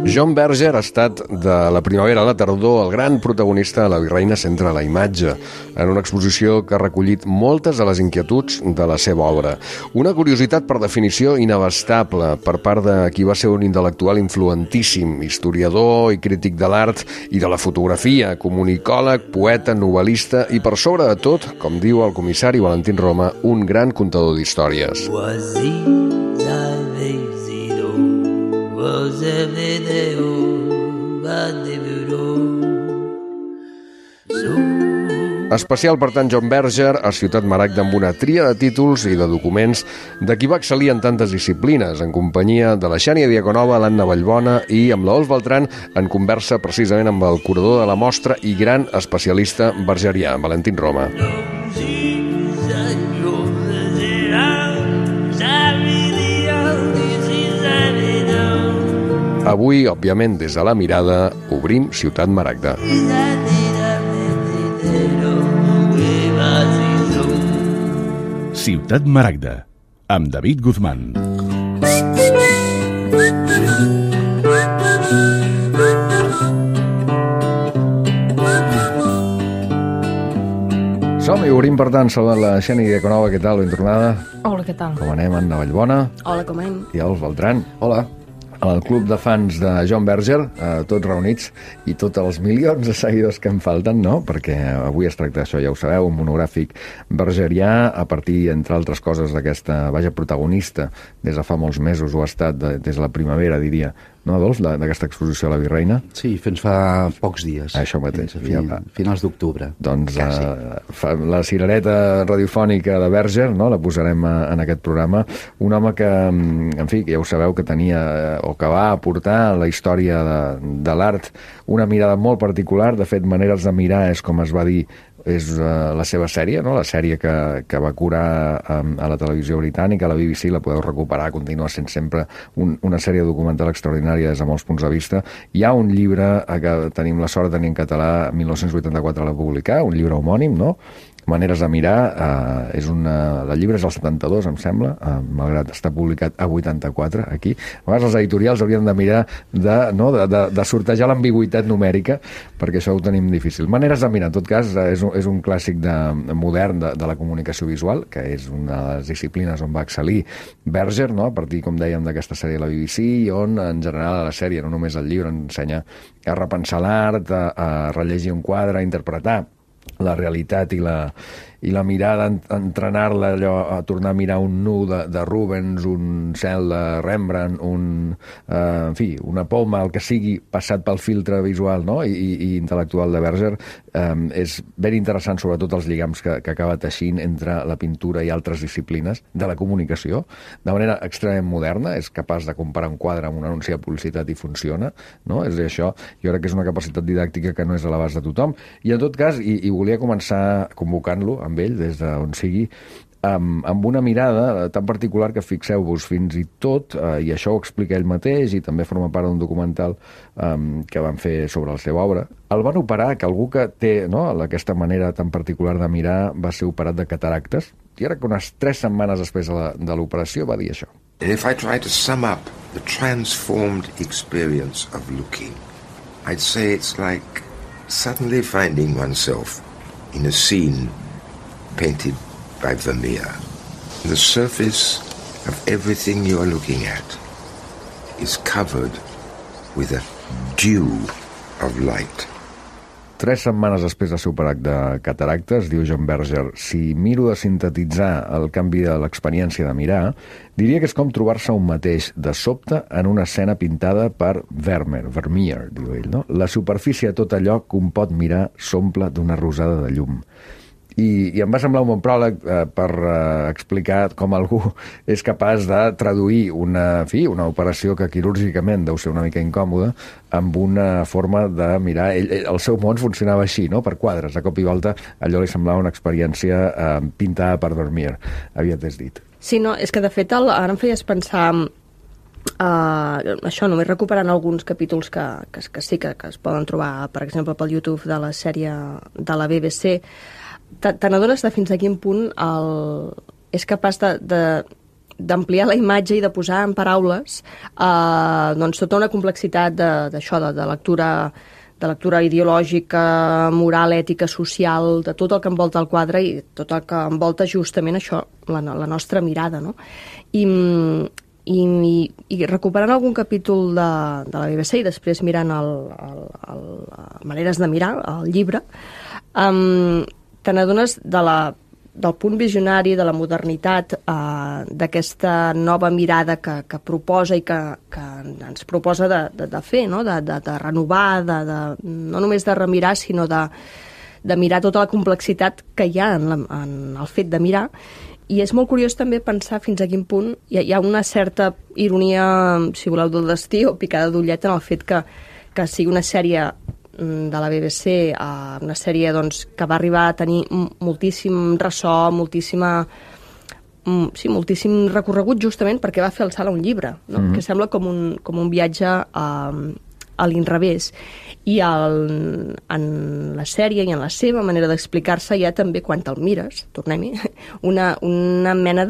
John Berger ha estat, de la primavera a la tardor, el gran protagonista de La virreina centra la imatge, en una exposició que ha recollit moltes de les inquietuds de la seva obra. Una curiositat per definició inabastable per part de qui va ser un intel·lectual influentíssim, historiador i crític de l'art i de la fotografia, comunicòleg, poeta, novel·lista i, per sobre de tot, com diu el comissari Valentín Roma, un gran contador d'històries. Especial, per tant, John Berger a Ciutat Maragda amb una tria de títols i de documents de qui va excel·lir en tantes disciplines, en companyia de la Xènia Diaconova, l'Anna Vallbona i amb la Dols Beltrán, en conversa precisament amb el curador de la mostra i gran especialista bergerià, Valentín Roma. Avui, òbviament, des de la mirada, obrim Ciutat Maragda. Ciutat Maragda, amb David Guzmán. Som-hi, obrim, per tant, saludant la Xènia Diaconova. Què tal, ben tornada? Hola, què tal? Com anem, Anna Vallbona? Hola, com anem? I Dols Beltrán. Hola. El club de fans de John Berger, tots reunits, i tots els milions de seguidors que en falten, no? Perquè avui es tracta d'això, ja ho sabeu, un monogràfic bergerià a partir, entre altres coses, d'aquesta protagonista des de fa molts mesos, o ha estat des de la primavera, diria, no, Dols, d'aquesta exposició a la Virreina? Sí, fins fa pocs dies. Això mateix. Finals d'octubre. Doncs la cirereta radiofònica de Berger, no?, la posarem en aquest programa. Un home que, en fi, ja ho sabeu, que tenia, o que va aportar la història de l'art una mirada molt particular. De fet, Maneres de mirar és com es va dir, és la seva sèrie, no? La sèrie que va curar a la televisió britànica, a la BBC, la podeu recuperar, continua sent sempre una sèrie documental extraordinària des de molts punts de vista. Hi ha un llibre que tenim la sort de tenir en català, 1984 la publicar, un llibre homònim, no? Maneres de mirar, el llibre és el 72, em sembla, malgrat estar publicat a 84, aquí. A vegades els editorials haurien de mirar de sortejar l'ambigüitat numèrica, perquè això ho tenim difícil. Maneres de mirar, en tot cas, és un clàssic modern de la comunicació visual, que és una de les disciplines on va excel·lir Berger, no?, a partir, com dèiem, d'aquesta sèrie de la BBC, i on, en general, a la sèrie, no només el llibre, ensenya a repensar l'art, a rellegir un quadre, a interpretar la realitat i la mirada, entrenar-la allò, a tornar a mirar un nu de Rubens, un cel de Rembrandt, en fi, una poma, el que sigui, passat pel filtre visual, no?, i intel·lectual de Berger. És ben interessant, sobretot, els lligams que acaba teixint entre la pintura i altres disciplines de la comunicació, de manera extremament moderna. És capaç de comparar un quadre amb un anunci de publicitat i funciona, no? És això, jo crec que és una capacitat didàctica que no és a l'abast de tothom. I, en tot cas, i volia començar convocant-lo amb ell, des d'on sigui, amb una mirada tan particular que, fixeu-vos, fins i tot, i això ho explica ell mateix i també forma part d'un documental que van fer sobre la seva obra, el van operar, que algú que té, no, aquesta manera tan particular de mirar va ser operat de cataractes, i ara que unes 3 setmanes després de l'operació va dir això. And if I try to sum up the transformed experience of looking, I'd say it's like suddenly finding oneself in a scene painted by Vermeer. The surface of everything you are looking at is covered with a dew of light. 3 setmanes després de ser operat de cataractes, diu John Berger, si miro de sintetitzar el canvi de l'experiència de mirar, diria que és com trobar-se un mateix de sobte en una escena pintada per Vermeer, diu ell, no? La superfície de tot allò que un pot mirar s'omple d'una rosada de llum. I em va semblar un bon pròleg per explicar com algú és capaç de traduir una operació que quirúrgicament deu ser una mica incòmoda amb una forma de mirar. El seu món funcionava així, no?, per quadres. De cop i volta allò li semblava una experiència pintada per Vermeer, havia dit. Sí, no, és que de fet ara em feies pensar això, només recuperant alguns capítols que sí que es poden trobar, per exemple, pel YouTube de la sèrie de la BBC. Te n'adones de fins a quin punt és capaç de d'ampliar la imatge i de posar en paraules doncs tota una complexitat d'això, de lectura ideològica, moral, ètica, social, de tot el que envolta el quadre i tot el que envolta justament això, la nostra mirada, no? I recuperant algun capítol de la BBC i després mirant Maneres de mirar, el llibre, te n'adones del punt visionari, de la modernitat, d'aquesta nova mirada que proposa i que ens proposa de fer, no? de renovar, no només de remirar, sinó de mirar tota la complexitat que hi ha en el fet de mirar. I és molt curiós també pensar fins a quin punt hi ha una certa ironia, si voleu, del destí o picada d'ullet en el fet que sigui una sèrie de la BBC, una sèrie doncs, que va arribar a tenir moltíssim ressò, moltíssim recorregut justament perquè va fer el salt a un llibre, no? Que sembla com un viatge a l'inrevés. I en la sèrie i en la seva manera d'explicar-se hi ha també, quan te'l mires, tornem-hi, una mena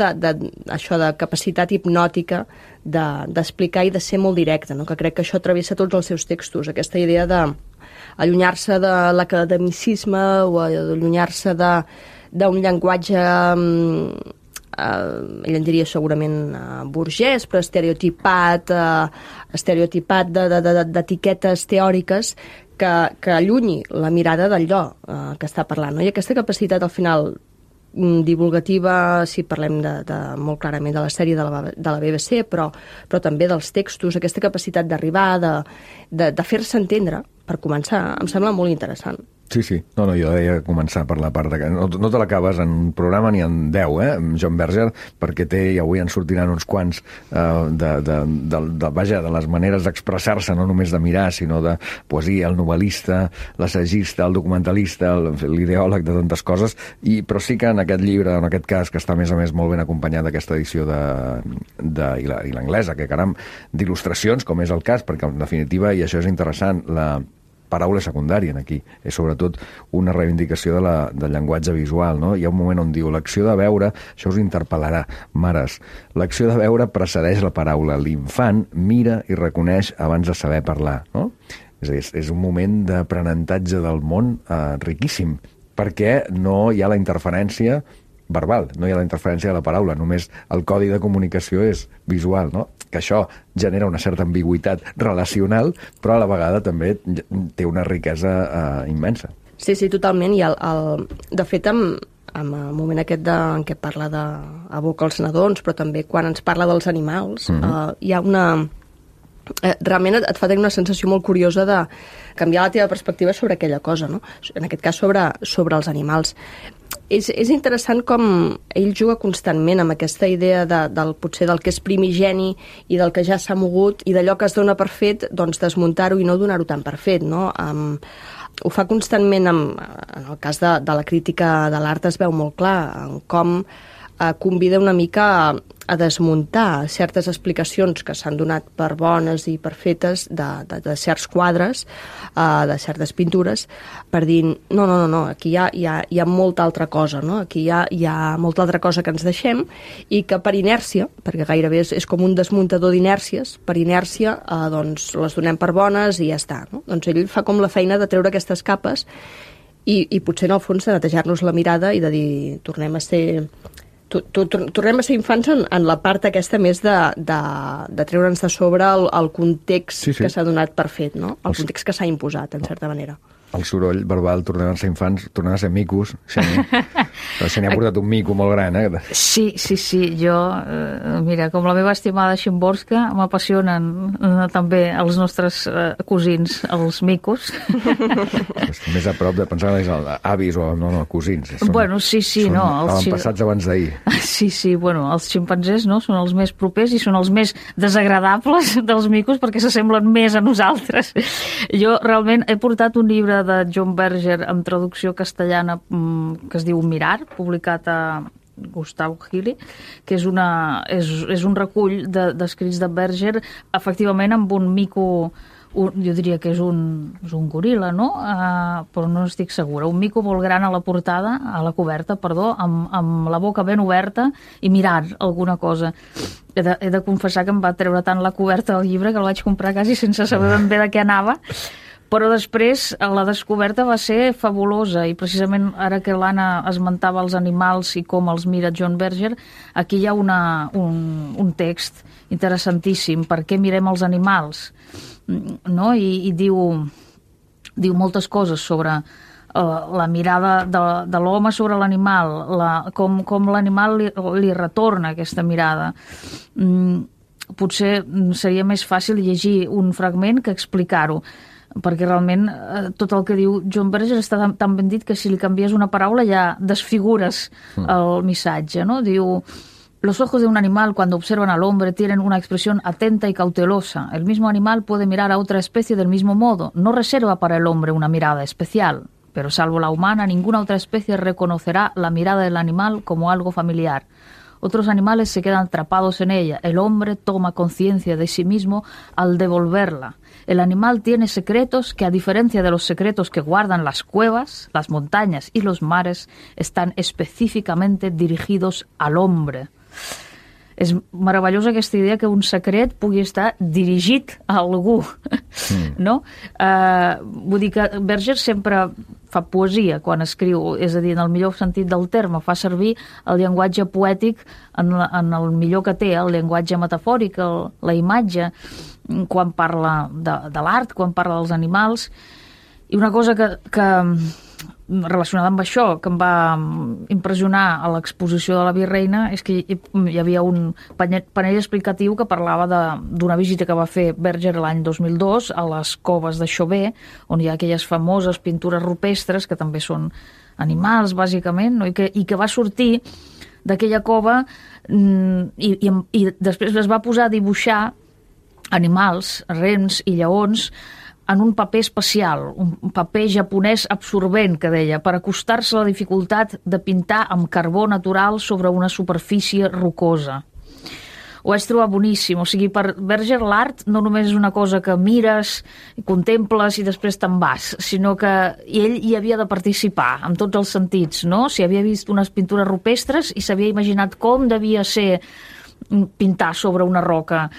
això de capacitat hipnòtica d'explicar i de ser molt directe, no? Que crec que això travessa tots els seus textos, aquesta idea d'allunyar-se de l'academicisme o allunyar-se d'un llenguatge ell en diria segurament burgès, però estereotipat d'etiquetes teòriques que allunyi la mirada d'allò que està parlant, no? I aquesta capacitat al final divulgativa, si parlem molt clarament de la sèrie de la BBC, però també dels textos, aquesta capacitat d'arribar, de fer-se entendre, per començar, em sembla molt interessant. Sí. No, jo deia començar per la part de... No te l'acabes en un programa ni en 10, John Berger, perquè i avui en sortiran uns quants vaja, de les maneres d'expressar-se, no només de mirar, sinó de poesia, el novel·lista, l'assagista, el documentalista, l'ideòleg de tantes coses, però sí que en aquest llibre, en aquest cas, que està a més molt ben acompanyat d'aquesta edició i l'anglesa, que caram, d'il·lustracions, com és el cas, perquè en definitiva, i això és interessant, la paraula secundària aquí, és sobretot una reivindicació del llenguatge visual, no? Hi ha un moment on diu, l'acció de veure, això us interpel·larà, mares, l'acció de veure precedeix la paraula, l'infant mira i reconeix abans de saber parlar, no? És a dir, és un moment d'aprenentatge del món riquíssim, perquè no hi ha la interferència verbal, no hi ha la interferència de la paraula, només el codi de comunicació és visual, no? Que això genera una certa ambigüitat relacional, però a la vegada també té una riquesa immensa. Sí, totalment, i de fet en el moment aquest en què parla d'abocar els nadons, però també quan ens parla dels animals, hi ha una... realment et fa tenir una sensació molt curiosa de canviar la teva perspectiva sobre aquella cosa, no? En aquest cas sobre els animals. És interessant com ell juga constantment amb aquesta idea potser del que és primigeni i del que ja s'ha mogut i d'allò que es dona per fet, doncs desmuntar-ho i no donar-ho tan per fet, no? Ho fa constantment, en el cas de la crítica de l'art es veu molt clar, en com convida una mica a desmuntar certes explicacions que s'han donat per bones i per fetes de certs quadres, de certes pintures, per dir, no, aquí hi ha molta altra cosa, no? Aquí hi ha molta altra cosa que ens deixem i que per inèrcia, perquè gairebé és com un desmuntador d'inèrcies, per inèrcia doncs les donem per bones i ja està, no? Doncs ell fa com la feina de treure aquestes capes i potser en el fons de netejar-nos la mirada i de dir, tornem a ser infants en la part aquesta més de treure'ns de sobre el context que s'ha donat per fet, no? El context que s'ha imposat, en certa manera. El soroll verbal, tornem a ser infants, tornem a ser micos, Xènia. Però Xènia ha portat un mico molt gran, Sí, jo, mira, com la meva estimada Szymborska, m'apassionen també els nostres cosins, els micos. Més a prop de pensar que és avis o cosins. Bueno, sí, no. Són passats abans d'ahir. Sí, bueno, els ximpanzés, no?, són els més propers i són els més desagradables dels micos perquè s'assemblen més a nosaltres. Jo realment he portat un llibre de John Berger amb traducció castellana que es diu Mirar, publicat a Gustavo Gili, que és un recull d'escrits de Berger, efectivament amb un mico jo diria que és un goril·la, no? Però no estic segura. Un mico molt gran a la portada, a la coberta, perdó, amb la boca ben oberta i mirant alguna cosa. He de confessar que em va treure tant la coberta del llibre que el vaig comprar quasi sense saber ben bé de què anava, però després la descoberta va ser fabulosa i precisament ara que l'Anna esmentava els animals i com els mira John Berger, aquí hi ha un text interessantíssim, per què mirem els animals, no? I diu moltes coses sobre la mirada de l'home sobre l'animal, com l'animal li retorna aquesta mirada. Potser seria més fàcil llegir un fragment que explicar-ho, perquè realment tot el que diu John Berger està tan ben dit que si li canvies una paraula ja desfigures el missatge, no? Diu: los ojos de un animal cuando observan al hombre tienen una expresión atenta y cautelosa. El mismo animal puede mirar a otra especie del mismo modo. No reserva para el hombre una mirada especial, pero salvo la humana, ninguna otra especie reconocerá la mirada del animal como algo familiar. Otros animales se quedan atrapados en ella. El hombre toma conciencia de sí mismo al devolverla. El animal tiene secretos que, a diferencia de los secretos que guardan las cuevas, las montañas y los mares, están específicamente dirigidos al hombre. És meravellosa aquesta idea que un secret pugui estar dirigit a algú, no? Vull dir que Berger sempre fa poesia quan escriu, és a dir, en el millor sentit del terme, fa servir el llenguatge poètic en el millor que té, el llenguatge metafòric, la imatge, quan parla de l'art, quan parla dels animals. I una cosa que relacionada amb això, que em va impressionar a l'exposició de la Virreina, és que hi havia un panell explicatiu que parlava d'una visita que va fer Berger l'any 2002 a les coves de Chauvet, on hi ha aquelles famoses pintures rupestres, que també són animals, bàsicament, no? I que va sortir d'aquella cova i després es va posar a dibuixar animals, rens i lleons, en un paper especial, un paper japonès absorbent, que deia, per acostar-se a la dificultat de pintar amb carbó natural sobre una superfície rocosa. Ho vaig trobar boníssim. O sigui, per Berger l'art no només és una cosa que mires, contemples i després te'n vas, sinó que ell hi havia de participar, en tots els sentits, no? Si havia vist unes pintures rupestres i s'havia imaginat com devia ser pintar sobre una roca,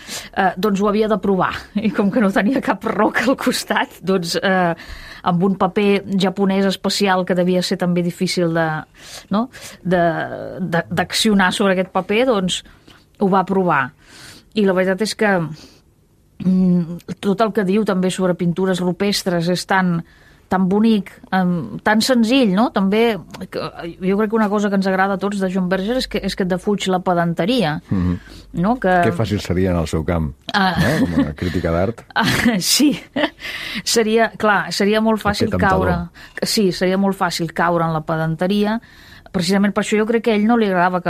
doncs ho havia de provar, i com que no tenia cap roca al costat, doncs amb un paper japonès especial que devia ser també difícil d'accionar sobre aquest paper, doncs ho va provar. I la veritat és que tot el que diu també sobre pintures rupestres és tan bonic, tan senzill, no? També, jo crec que una cosa que ens agrada a tots de John Berger és que et defuig la pedanteria. No? Que fàcil seria en el seu camp, no? Com a crítica d'art. Sí, seria molt fàcil caure. Sí, seria molt fàcil caure en la pedanteria. Precisament per això jo crec que a ell no li agradava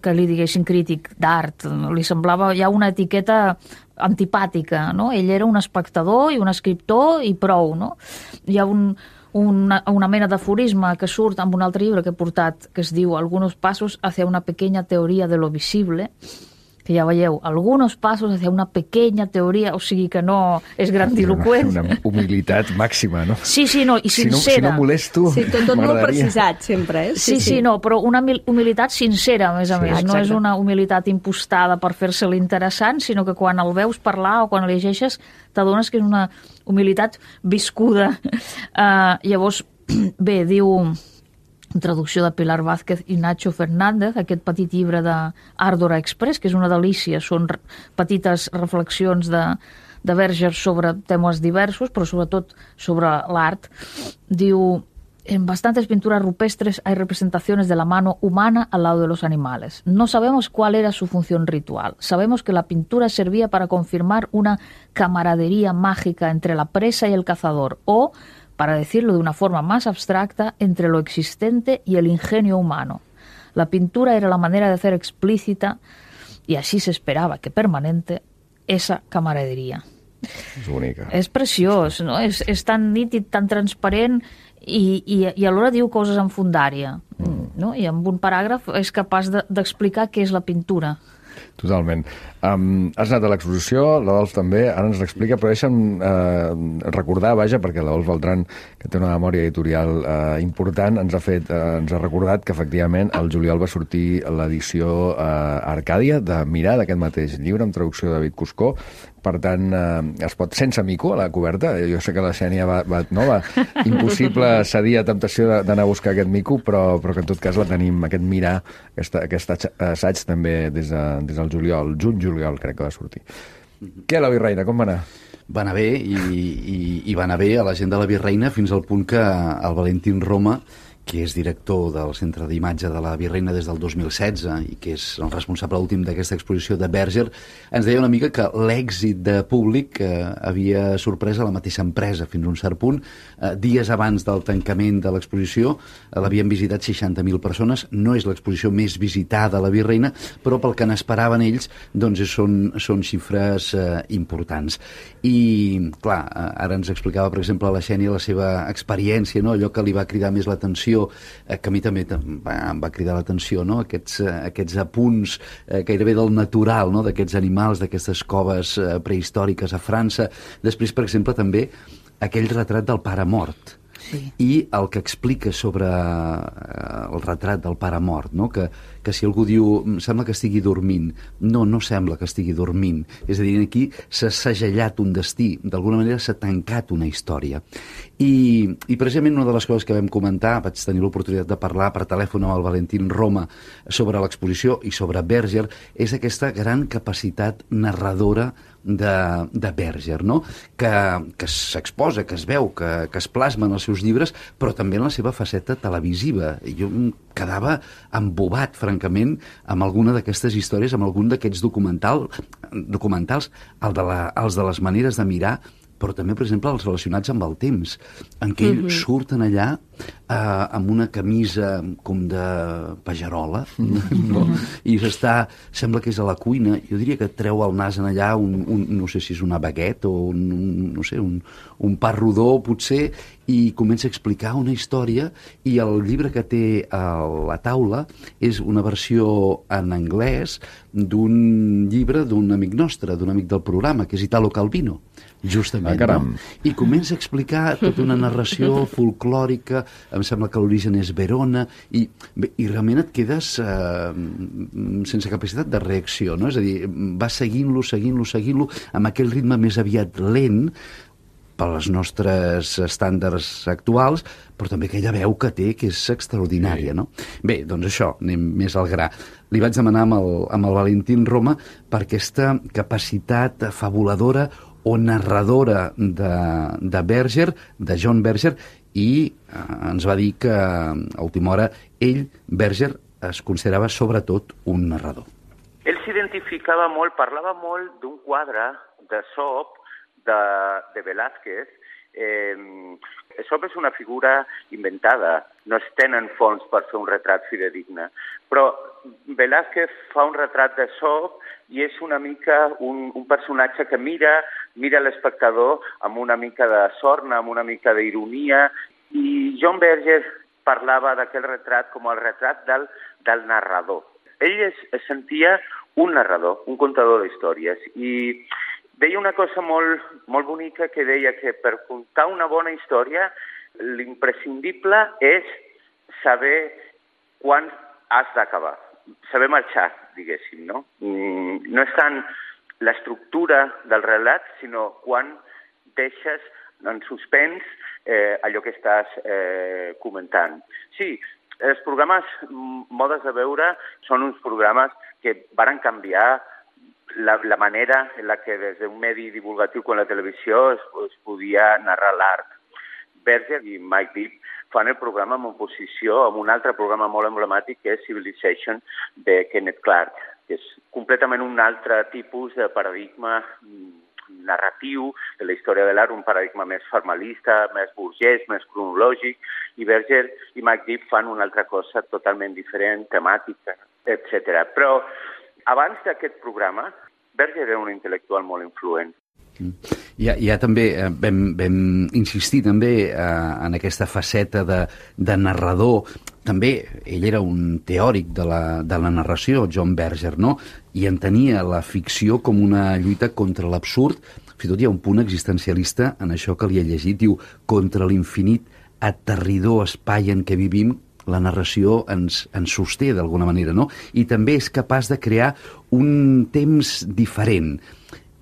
que li diguessin crític d'art. Li semblava ja una etiqueta antipàtica, no? Ell era un espectador i un escriptor i prou, no? Hi ha una mena d'aforisme que surt amb un altre llibre que he portat, que es diu Algunos pasos hacia una pequeña teoría de lo visible, que ja veieu, algunos pasos hacia una pequeña teoria, o sigui que no és grandiloquent. Una humilitat màxima, no? Sí, no, i sincera. Si no molesto, sí, tot molt precisat, sempre. Sí, no, però una humilitat sincera, a més a més. Exacte. No és una humilitat impostada per fer-se-li interessant, sinó que quan el veus parlar o quan el llegeixes t'adones que és una humilitat viscuda. Llavors, bé, diu... traducció de Pilar Vázquez i Nacho Fernández, aquest petit llibre d'Ardora Express, que és una delícia, són petites reflexions de Berger sobre temes diversos, però sobretot sobre l'art. Diu: en bastantes pinturas rupestres hay representaciones de la mano humana al lado de los animales. No sabemos cuál era su función ritual. Sabemos que la pintura servía para confirmar una camaradería mágica entre la presa y el cazador, o, para decirlo de una forma más abstracta, entre lo existente y el ingenio humano. La pintura era la manera de hacer explícita, y así se esperaba que permanente, esa camaradería. És bonica. És preciós, no? És tan nítid, tan transparent, i alhora diu coses en fundària, no? I amb un paràgraf és capaç d'explicar què és la pintura. Totalment. Has anat a l'exposició, l'Adolf també, ara ens l'explica, però deixa'm recordar, vaja, perquè l'Adolf Beltran, que té una memòria editorial important, ens ha recordat que efectivament el juliol va sortir l'edició Arcàdia de Mirar, d'aquest mateix llibre, amb traducció de David Cuscó. Per tant, es pot sense mico a la coberta. Jo sé que la Xènia va impossible cedir a temptació d'anar a buscar aquest mico, però que en tot cas la tenim, aquest Mirar, aquest assaig també des del juliol, juny-juliol crec que va sortir. Què, la Virreina, com va anar? Va anar bé i va anar bé a la gent de la Virreina fins al punt que el Valentín Roma, que és director del Centre d'Imatge de la Virreina des del 2016 i que és el responsable últim d'aquesta exposició de Berger, ens deia una mica que l'èxit de públic havia sorprès a la mateixa empresa fins a un cert punt. Dies abans del tancament de l'exposició l'havien visitat 60.000 persones. No és l'exposició més visitada a la Virreina, però pel que n'esperaven ells doncs són xifres importants. I, clar, ara ens explicava, per exemple, la Xènia la seva experiència, no? Allò que li va cridar més l'atenció, que a mi també em va cridar l'atenció, no? Aquests apunts gairebé del natural, no? D'aquests animals, d'aquestes coves prehistòriques a França. Després, per exemple, també aquell retrat del pare mort. Sí. I el que explica sobre el retrat del pare mort, no? Que si algú diu sembla que estigui dormint, no sembla que estigui dormint, és a dir, aquí s'ha segellat un destí, d'alguna manera s'ha tancat una història. I precisament una de les coses que vam comentar, vaig tenir l'oportunitat de parlar per telèfon amb el Valentín Roma sobre l'exposició i sobre Berger, és aquesta gran capacitat narradora de Berger, no? Que s'exposa, que es veu, que es plasma en els seus llibres, però també en la seva faceta televisiva. Jo em quedava embobat, francament, amb alguna d'aquestes històries, amb algun d'aquests documentals, els de les maneres de mirar, però també, per exemple, els relacionats amb el temps, en què ells surten allà amb una camisa com de pagerola, no? I sembla que és a la cuina. Jo diria que treu el nas en allà no sé si és una baguette o un pa rodó, potser, i comença a explicar una història, i el llibre que té a la taula és una versió en anglès d'un llibre d'un amic nostre, d'un amic del programa, que és Italo Calvino, justament. No? I comença a explicar tota una narració folclòrica, em sembla que l'origen és Verona, i realment et quedes sense capacitat de reacció, no? És a dir, va seguint-lo, amb aquell ritme més aviat lent, per als nostres estàndards actuals, però també aquella veu que té, que és extraordinària, no? Bé, doncs això, anem més al gra. Li vaig demanar amb el Valentín Roma per aquesta capacitat fabuladora o narradora de Berger, de John Berger, i ens va dir que a última hora ell, Berger, es considerava sobretot un narrador. Ell s'identificava molt, parlava molt d'un quadre de Sop, de Velázquez. Sop és una figura inventada, no es tenen fons per fer un retrat fidedigne, però Velázquez fa un retrat de Sop i és una mica un personatge que mira l'espectador amb una mica de sorna, amb una mica d'ironia, i John Berger parlava d'aquell retrat com el retrat del narrador. Ell es sentia un narrador, un contador d'històries, i deia una cosa molt, molt bonica, que deia que per contar una bona història l'imprescindible és saber quan has d'acabar, saber marxar, diguéssim, no? No és tant l'estructura del relat, sinó quan deixes en suspens allò que estàs comentant. Sí, els programes Modes de veure són uns programes que varen canviar la manera en la que des d'un medi divulgatiu com la televisió es podia narrar l'art. Berger i Mike Deeb fan el programa en oposició amb un altre programa molt emblemàtic que és Civilization de Kenneth Clark, que és completament un altre tipus de paradigma narratiu de la història de l'art, un paradigma més formalista, més burgès, més cronològic, i Berger i Mike Deeb fan una altra cosa totalment diferent, temàtica, etc. Però abans d'aquest programa, Berger era un intel·lectual molt influent. Ja també vam insistir també en aquesta faceta de narrador. També ell era un teòric de la narració, John Berger, no? i entenia la ficció com una lluita contra l'absurd. Fins i tot hi ha un punt existencialista en això que li he llegit, diu, contra l'infinit aterridor espai en què vivim, la narració ens sosté d'alguna manera, no? I també és capaç de crear un temps diferent.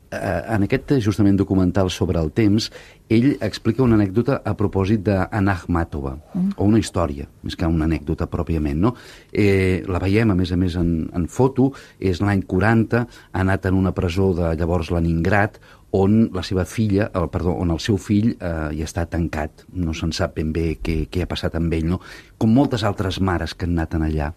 En aquest, justament, documental sobre el temps, ell explica una anècdota a propòsit d'Anna Akhmatova, o una història, més que una anècdota pròpiament, no? La veiem, a més, en foto, és l'any 40, ha anat en una presó de llavors Leningrad, on la seva filla, on el seu fill hi està tancat. No se'n sap ben bé què ha passat amb ell, no? Com moltes altres mares que han anat allà.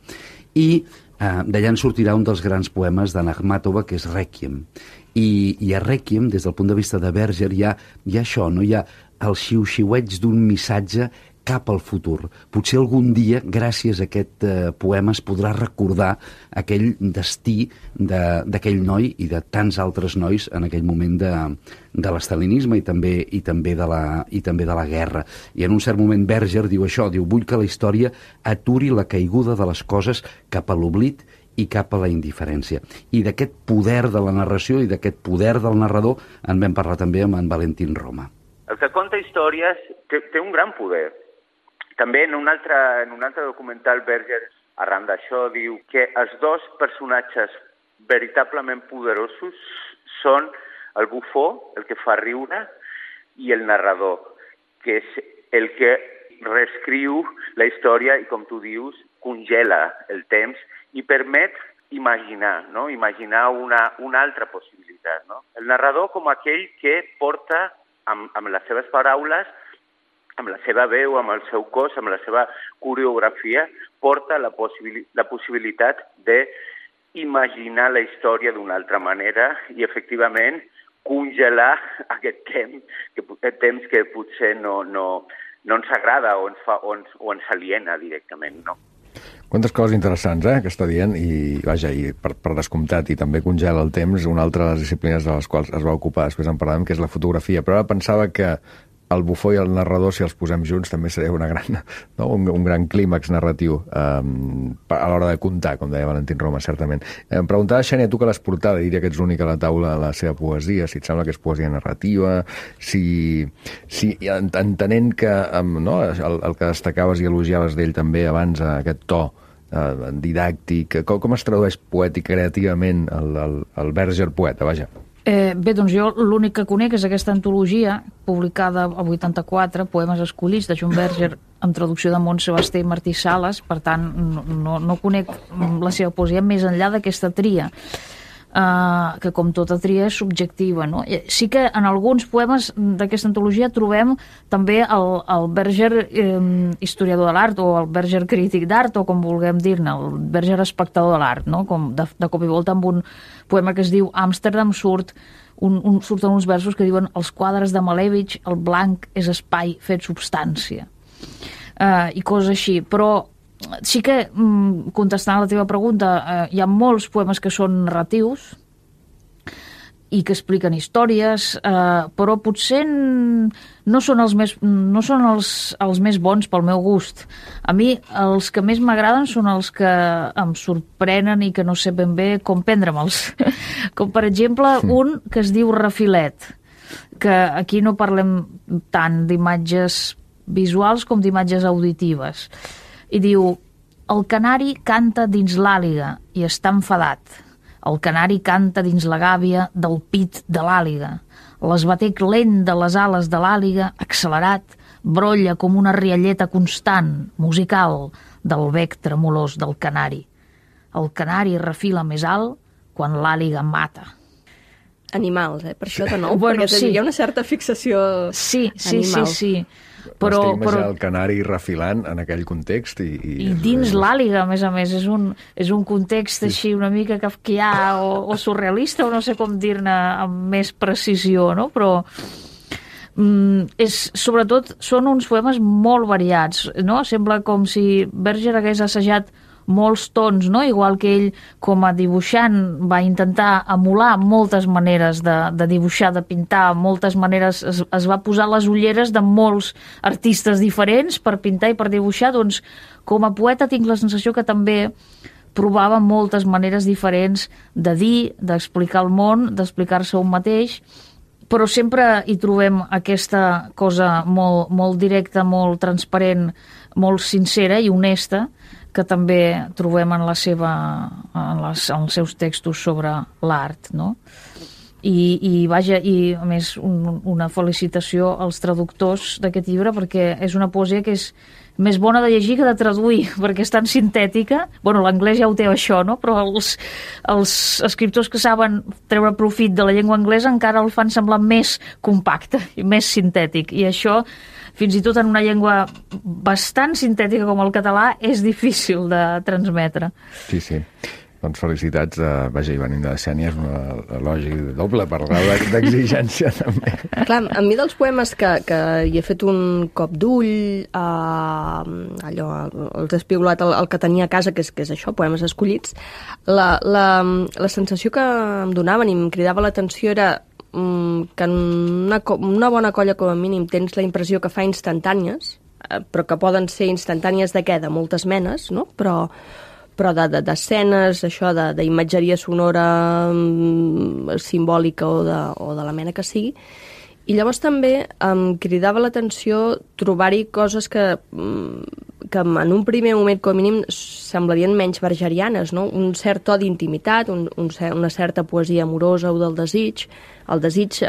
I d'allà en sortirà un dels grans poemes d'Anna Akhmatova, que és Rèquiem. I a Rèquiem, des del punt de vista de Berger, hi ha això, no? Hi ha el xiu-xiueig d'un missatge cap al futur. Potser algun dia, gràcies a aquest poema, es podrà recordar aquell destí d'aquell noi i de tants altres nois en aquell moment de l'estalinisme i també de la guerra. I en un cert moment Berger diu això, diu, vull que la història aturi la caiguda de les coses cap a l'oblit i cap a la indiferència. I d'aquest poder de la narració i d'aquest poder del narrador en vam parlar també amb en Valentín Roma. El que conta històries té un gran poder. També en un altre documental, Berger, arran d'això, diu que els dos personatges veritablement poderosos són el bufó, el que fa riure, i el narrador, que és el que reescriu la història i, com tu dius, congela el temps i permet imaginar, no? Imaginar una altra possibilitat, no? El narrador com aquell que porta amb les seves paraules, amb la seva veu, amb el seu cos, amb la seva coreografia, porta la possibilitat d'imaginar la història d'una altra manera i, efectivament, congelar aquest temps que potser no ens agrada o ens aliena directament, no? Quantes coses interessants, que està dient, i vaja, i per descomptat, i també congela el temps, una altra de les disciplines de les quals es va ocupar, després en parlarem, que és la fotografia, però ara pensava que el bufó i el narrador, si els posem junts, també seria un gran clímax narratiu a l'hora de contar, com deia Valentín Roma, certament. Em preguntava, Xènia, tu que l'has portada, diria que ets l'únic a la taula la seva poesia, si et sembla que és poesia narrativa, si entenent que el que destacaves i elogiaves d'ell també abans, aquest to didàctic, com es tradueix poètic creativament el Berger poeta, vaja? Bé, doncs jo l'únic que conec és aquesta antologia publicada el 84, Poemes escollits, de John Berger, amb traducció de Montse Basté i Martí Sales. Per tant, no conec la seva poesia més enllà d'aquesta tria, que com tota tria és subjectiva, no? Sí que en alguns poemes d'aquesta antologia trobem també el Berger historiador de l'art, o el Berger crític d'art, o com vulguem dir-ne, el Berger espectador de l'art, no? Com de cop i volta amb un poema que es diu Amsterdam surten uns versos que diuen: els quadres de Malevich, el blanc és espai fet substància, i coses així. Però sí que, contestant a la teva pregunta, hi ha molts poemes que són narratius i que expliquen històries, però potser no són els més bons pel meu gust. A mi els que més m'agraden són els que em sorprenen i que no sé ben bé com prendre-me'ls. Com, per exemple, un que es diu Refilet, que aquí no parlem tant d'imatges visuals com d'imatges auditives. I diu: el canari canta dins l'àliga i està enfadat. El canari canta dins la gàbia del pit de l'àliga. L'esbatec lent de les ales de l'àliga, accelerat, brolla com una rialleta constant, musical, del bec tremolós del canari. El canari refila més alt quan l'àliga mata. Animals, per això de nou, bueno, perquè sí. Hi ha una certa fixació animal. Sí. Però el canari refilant en aquell context i dins l'àliga, a més, és un context així una mica kafkià o surrealista, o no sé com dir-ne amb més precisió, no? Però sobretot són uns poemes molt variats, no? Sembla com si Berger hagués assajat molts tons, no? Igual que ell com a dibuixant va intentar emular moltes maneres de dibuixar, de pintar, moltes maneres, es va posar les ulleres de molts artistes diferents per pintar i per dibuixar. Doncs com a poeta tinc la sensació que també provava moltes maneres diferents de dir, d'explicar el món, d'explicar-se un mateix, però sempre hi trobem aquesta cosa molt, molt directa, molt transparent, molt sincera i honesta, que també trobem en els seus textos sobre l'art, no? I a més, una felicitació als traductors d'aquest llibre, perquè és una poesia que és més bona de llegir que de traduir, perquè és tan sintètica. Bueno, l'anglès ja ho té això, no? Però els escriptors que saben treure profit de la llengua anglesa encara el fan semblar més compacte i més sintètic. I això, fins i tot en una llengua bastant sintètica com el català, és difícil de transmetre. Sí, sí. Doncs felicitats. Vaja, i venim de Xènia, és un elogi doble per grau d'exigència, també. Clar, a mi dels poemes que hi he fet un cop d'ull, allò, els he espigolat el que tenia a casa, que és això, poemes escollits, la sensació que em donaven i em cridava l'atenció era que en una bona colla, com a mínim, tens la impressió que fa instantànies, però que poden ser instantànies de què? De moltes menes, no? Però d'escenes, això, d'imatgeria sonora simbòlica o de la mena que sigui. I llavors també em cridava l'atenció trobar-hi coses que en un primer moment, com a mínim, semblarien menys bergerianes, no? Un cert to d'intimitat, una certa poesia amorosa o del desig. El desig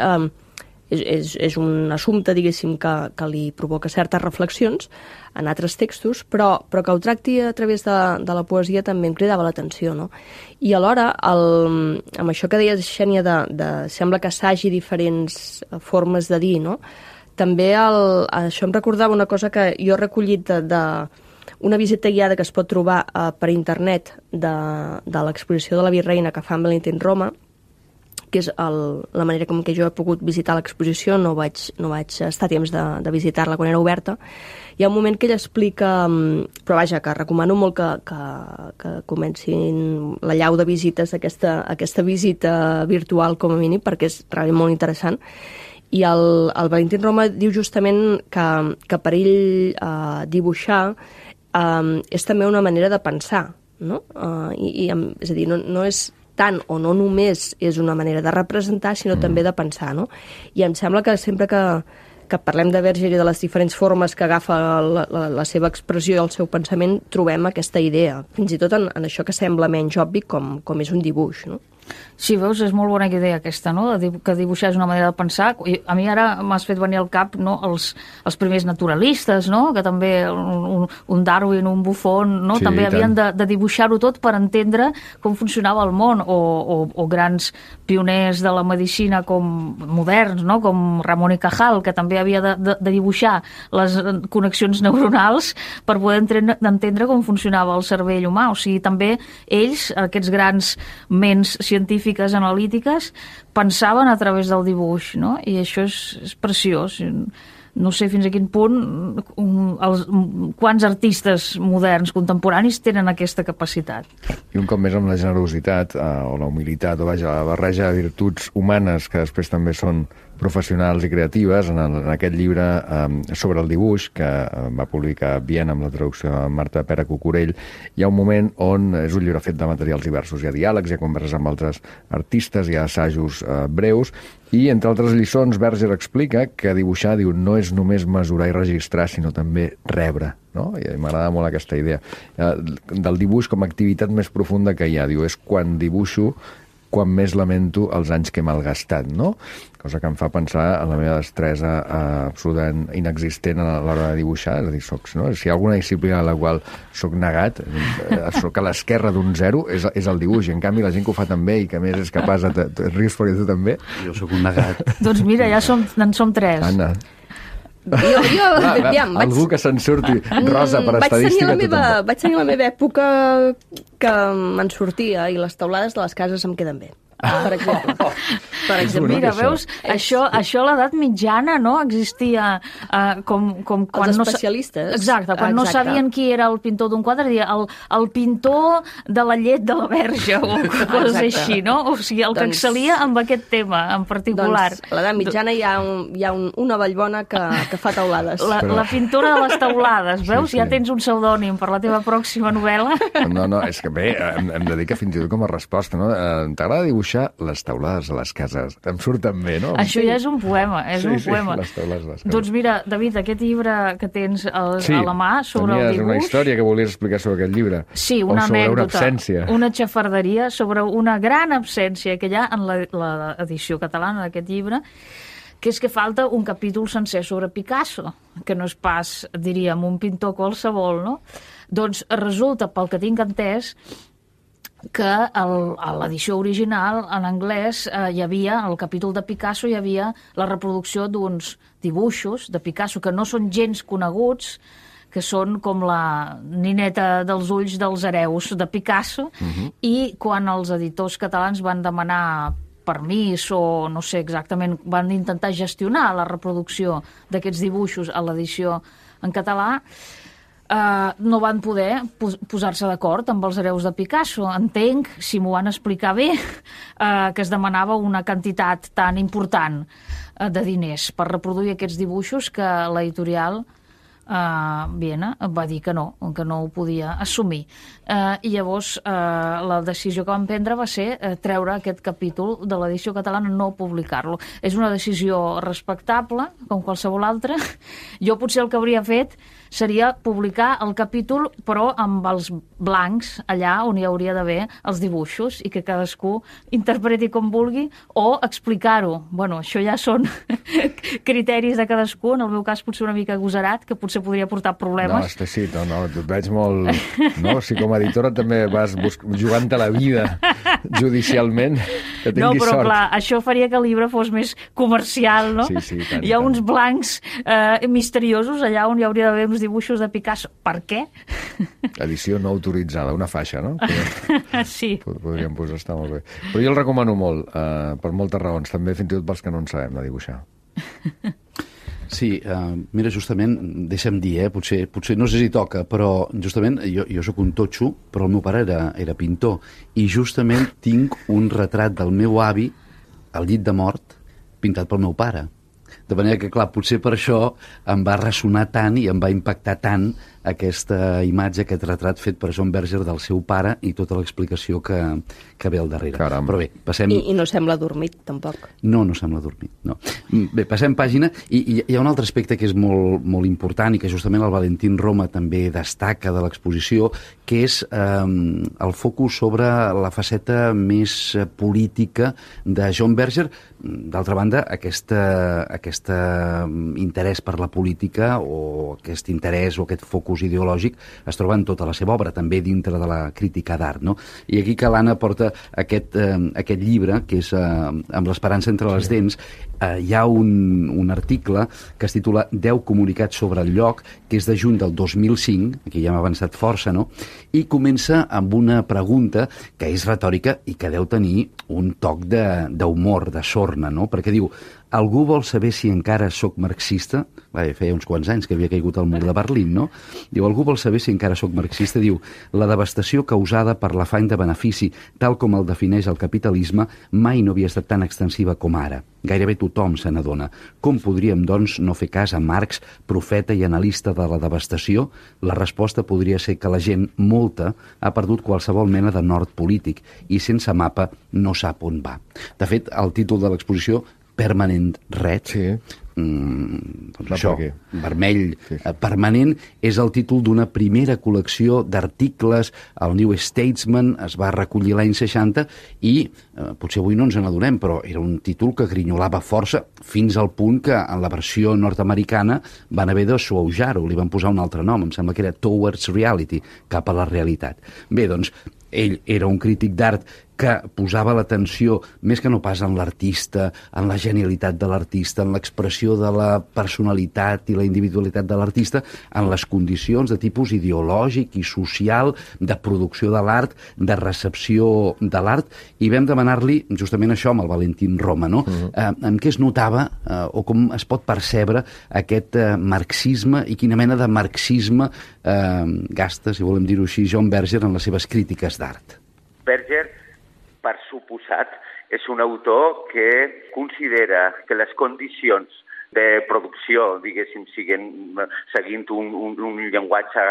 és un assumpte, diguéssim, que li provoca certes reflexions en altres textos, però que ho tracti a través de la poesia també em cridava l'atenció, no? I alhora, amb això que deies, Xènia, sembla que assagi diferents formes de dir, no? També això em recordava una cosa que jo he recollit una visita guiada que es pot trobar per internet de l'exposició de la Virreina que fa en Valentín Roma, que és la manera com que jo he pogut visitar l'exposició, no vaig estar a temps de visitar-la quan era oberta. Hi ha un moment que ell explica, però vaja, que recomano molt que comencin la llau de visites, aquesta visita virtual com a mínim, perquè és realment molt interessant. I el Valentín Roma diu justament que per ell dibuixar és també una manera de pensar, no? És a dir, no és tant o no només és una manera de representar, sinó també de pensar, no? I em sembla que sempre que parlem de Berger i de les diferents formes que agafa la seva expressió i el seu pensament, trobem aquesta idea, fins i tot en això que sembla menys obvi com és un dibuix, no? Sí, veus, és molt bona idea aquesta, no? Que dibuixar és una manera de pensar. A mi ara m'has fet venir al cap, no, els primers naturalistes, no? Que també un Darwin, un Buffon, no? Sí, també havien de dibuixar-ho tot per entendre com funcionava el món, o grans pioners de la medicina moderns, no? Com Ramon y Cajal, que també havia de dibuixar les connexions neuronals per poder entendre com funcionava el cervell humà. O sigui, també ells, aquests grans ments científiques analítiques, pensaven a través del dibuix, no? I això és preciós. No sé fins a quin punt quants artistes moderns contemporanis tenen aquesta capacitat. I un cop més amb la generositat o la humilitat, o vaja, la barreja de virtuts humanes que després també són professionals i creatives. En aquest llibre sobre el dibuix, que va publicar Viena amb la traducció de Marta Pera Cucurell, hi ha un moment on és un llibre fet de materials diversos. Hi ha diàlegs, hi ha converses amb altres artistes, hi ha assajos breus, i entre altres lliçons Berger explica que dibuixar, diu, no és només mesurar i registrar, sinó també rebre, no? I m'agrada molt aquesta idea del dibuix com a activitat més profunda que hi ha. Diu, és quan dibuixo quan més lamento els anys que he malgastat, no? Cosa que em fa pensar en la meva destresa absolutament inexistent a l'hora de dibuixar. És a dir, si hi ha alguna disciplina a la qual soc negat, soc a l'esquerra d'un zero, és el dibuix. I en canvi, la gent que ho fa tan bé i que a més és capaç de... Rius perquè tu també? Jo sóc un negat. Doncs mira, ja en som tres. Anna. Algú que se'n surti rosa per estadística. Vaig tenir la meva època que me'n sortia i les teulades de les cases em queden bé. per exemple. Per exemple. Mira, veus, això a l'edat mitjana, no?, existia com quan els especialistes. Exacte, quan no sabien qui era el pintor d'un quadre, deia el pintor de la llet de la Verge, o coses així, no? O sigui, el que excelia amb aquest tema en particular. Doncs a l'edat mitjana hi ha una Vallbona que fa teulades. La pintora de les teulades, veus? Sí. Ja tens un pseudònim per la teva pròxima novel·la. No, és que bé, hem de dir que fins i tot com a resposta, no? T'agrada dibuixar les teulades a les cases. Em surten bé, no? Això ja és un poema, poema. Les teulades a les cases. Doncs mira, David, aquest llibre que tens a la mà sobre el dibuix... una història que volies explicar sobre aquest llibre. Sí, una anècdota. O sobre una absència. Una xafarderia sobre una gran absència que hi ha en l'edició catalana d'aquest llibre, que és que falta un capítol sencer sobre Picasso, que no és pas, diríem, un pintor qualsevol, no? Doncs resulta, pel que tinc entès, que a l'edició original, en anglès, hi havia, al capítol de Picasso, hi havia la reproducció d'uns dibuixos de Picasso que no són gens coneguts, que són com la nineta dels ulls dels hereus de Picasso, i quan els editors catalans van demanar permís o no sé exactament, van intentar gestionar la reproducció d'aquests dibuixos a l'edició en català, no van poder posar-se d'acord amb els hereus de Picasso. Entenc, si m'ho van explicar bé, que es demanava una quantitat tan important de diners per reproduir aquests dibuixos que l'editorial Viena va dir que no ho podia assumir. I llavors la decisió que van prendre va ser treure aquest capítol de l'edició catalana, no publicar-lo. És una decisió respectable, com qualsevol altra. Jo potser el que hauria fet seria publicar el capítol, però amb els blancs, allà on hi hauria d'haver els dibuixos, i que cadascú interpreti com vulgui, o explicar-ho. Bueno, això ja són criteris de cadascú, en el meu cas potser una mica agosarat, que potser podria portar problemes. No, sí, no, tu et veig molt... No? Si com a editora també vas jugant-te la vida judicialment, que tinguis sort. No, però clar, això faria que el llibre fos més comercial, no? Sí, tant. Hi ha uns blancs misteriosos allà on hi hauria d'haver uns dibuixos de Picasso. Per què? Edició no autoritzada, una faixa, no? Sí. Podríem posar, està molt bé. Però jo el recomano molt, per moltes raons, també fins i tot pels que no en sabem de dibuixar. Sí, mira, justament, deixa'm dir, potser no sé si toca, però justament jo sóc un totxo, però el meu pare era pintor, i justament tinc un retrat del meu avi al llit de mort pintat pel meu pare. De manera que, clar, potser per això em va ressonar tant i em va impactar tant aquesta imatge, aquest retrat fet per John Berger del seu pare i tota l'explicació que ve al darrere. Caram. Però bé, passem... I no sembla dormit, tampoc. No sembla dormit, no. Bé, passem pàgina, i hi ha un altre aspecte que és molt, molt important i que justament el Valentín Roma també destaca de l'exposició, que és el focus sobre la faceta més política de John Berger. D'altra banda, aquest interès per la política o aquest interès o aquest focus ideològic es troba en tota la seva obra, també dintre de la crítica d'art, no? I aquí que l'Anna porta aquest llibre, que és Amb l'esperança entre les dents, hi ha un article que es titula 10 comunicats sobre el lloc, que és de juny del 2005, aquí ja hem avançat força, no? I comença amb una pregunta que és retòrica i que deu tenir un toc d'humor, de sorna, no? Perquè diu: algú vol saber si encara sóc marxista? Feia uns quants anys que havia caigut el mur de Berlín, no? Diu, algú vol saber si encara sóc marxista? Diu, la devastació causada per l'afany de benefici, tal com el defineix el capitalisme, mai no havia estat tan extensiva com ara. Gairebé tothom se n'adona. Com podríem, doncs, no fer cas a Marx, profeta i analista de la devastació? La resposta podria ser que la gent, molta, ha perdut qualsevol mena de nord polític i sense mapa no sap on va. De fet, el títol de l'exposició, Permanent Red, sí. Doncs això, vermell, sí. Permanent, és el títol d'una primera col·lecció d'articles. El New Statesman es va recollir l'any 60 i potser avui no ens n'adonem, però era un títol que grinyolava força fins al punt que en la versió nord-americana van haver de suaujar-ho, li van posar un altre nom, em sembla que era Towards Reality, cap a la realitat. Bé, doncs, ell era un crític d'art que posava l'atenció, més que no pas en l'artista, en la genialitat de l'artista, en l'expressió de la personalitat i la individualitat de l'artista, en les condicions de tipus ideològic i social, de producció de l'art, de recepció de l'art, i vam demanar-li justament això amb el Valentín Roma, no? En què es notava o com es pot percebre aquest marxisme i quina mena de marxisme gasta, si volem dir-ho així, John Berger en les seves crítiques d'art. Berger, per suposat, és un autor que considera que les condicions de producció, diguéssim, seguint un llenguatge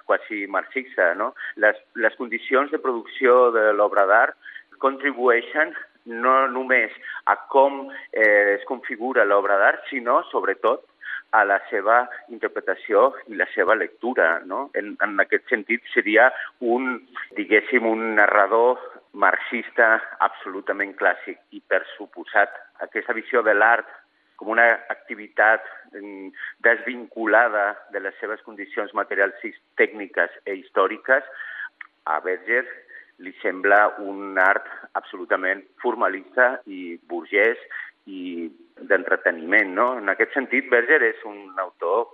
quasi marxista, no? Les condicions de producció de l'obra d'art contribueixen no només a com es configura l'obra d'art, sinó, sobretot, a la seva interpretació i la seva lectura, no? En aquest sentit, seria un narrador marxista absolutament clàssic i, per suposat, aquesta visió de l'art com una activitat desvinculada de les seves condicions materials, tècniques i històriques, a Berger li sembla un art absolutament formalista i burgès i d'entreteniment, no? En aquest sentit, Berger és un autor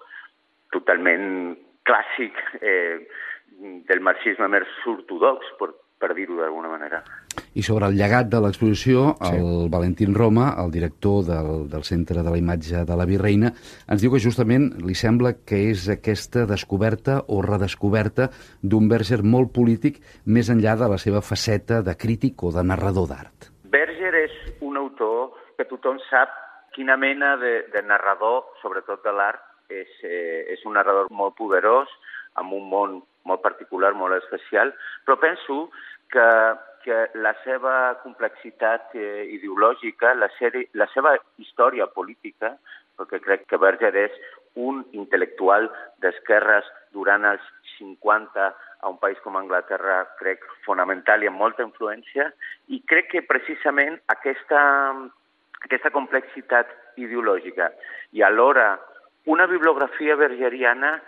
totalment clàssic del marxisme més ortodox, per dir-ho d'alguna manera. I sobre el llegat de l'exposició, el Valentín Roma, el director del Centre de la Imatge de la Virreina, ens diu que justament li sembla que és aquesta descoberta o redescoberta d'un Berger molt polític més enllà de la seva faceta de crític o de narrador d'art. Berger és un autor que tothom sap quina mena de narrador, sobretot de l'art, és un narrador molt poderós, amb un món molt particular, molt especial, però penso que la seva complexitat ideològica, la seva història política, perquè crec que Berger és un intel·lectual d'esquerres durant els 50 a un país com Anglaterra, crec, fonamental i amb molta influència, i crec que precisament aquesta complexitat ideològica i alhora una bibliografia bergeriana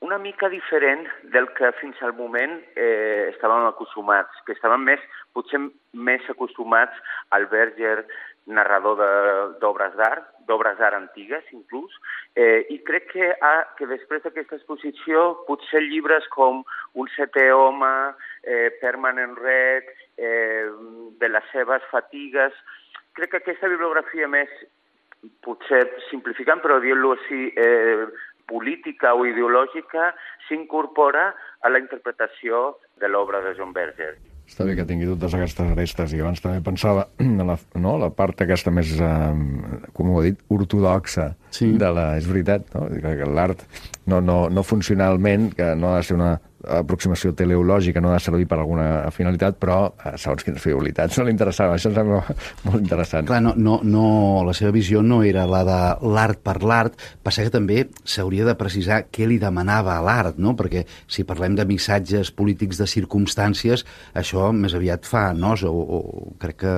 una mica diferent del que fins al moment estàvem acostumats, que estàvem potser més acostumats al Berger narrador d'obres d'art antigues inclús, i crec que després d'aquesta exposició potser llibres com Un setè home, Permanent Red, de les seves fatigues, crec que aquesta bibliografia més, potser simplificant, però dient-lo així, política o ideològica, s'incorpora a la interpretació de l'obra de John Berger. Està bé que tingui totes aquestes arestes, i abans també pensava en la part aquesta més, com ho he dit, ortodoxa de la... És veritat, no? Que l'art no funcionalment, que no ha de ser una aproximació teleològica, no ha de servir per alguna finalitat, però segons quines frivolitats no li interessava. Això em sembla molt interessant. Clar, la seva visió no era la de l'art per l'art, passa que també s'hauria de precisar què li demanava a l'art, no? Perquè si parlem de missatges polítics de circumstàncies, això més aviat fa nosa, o crec que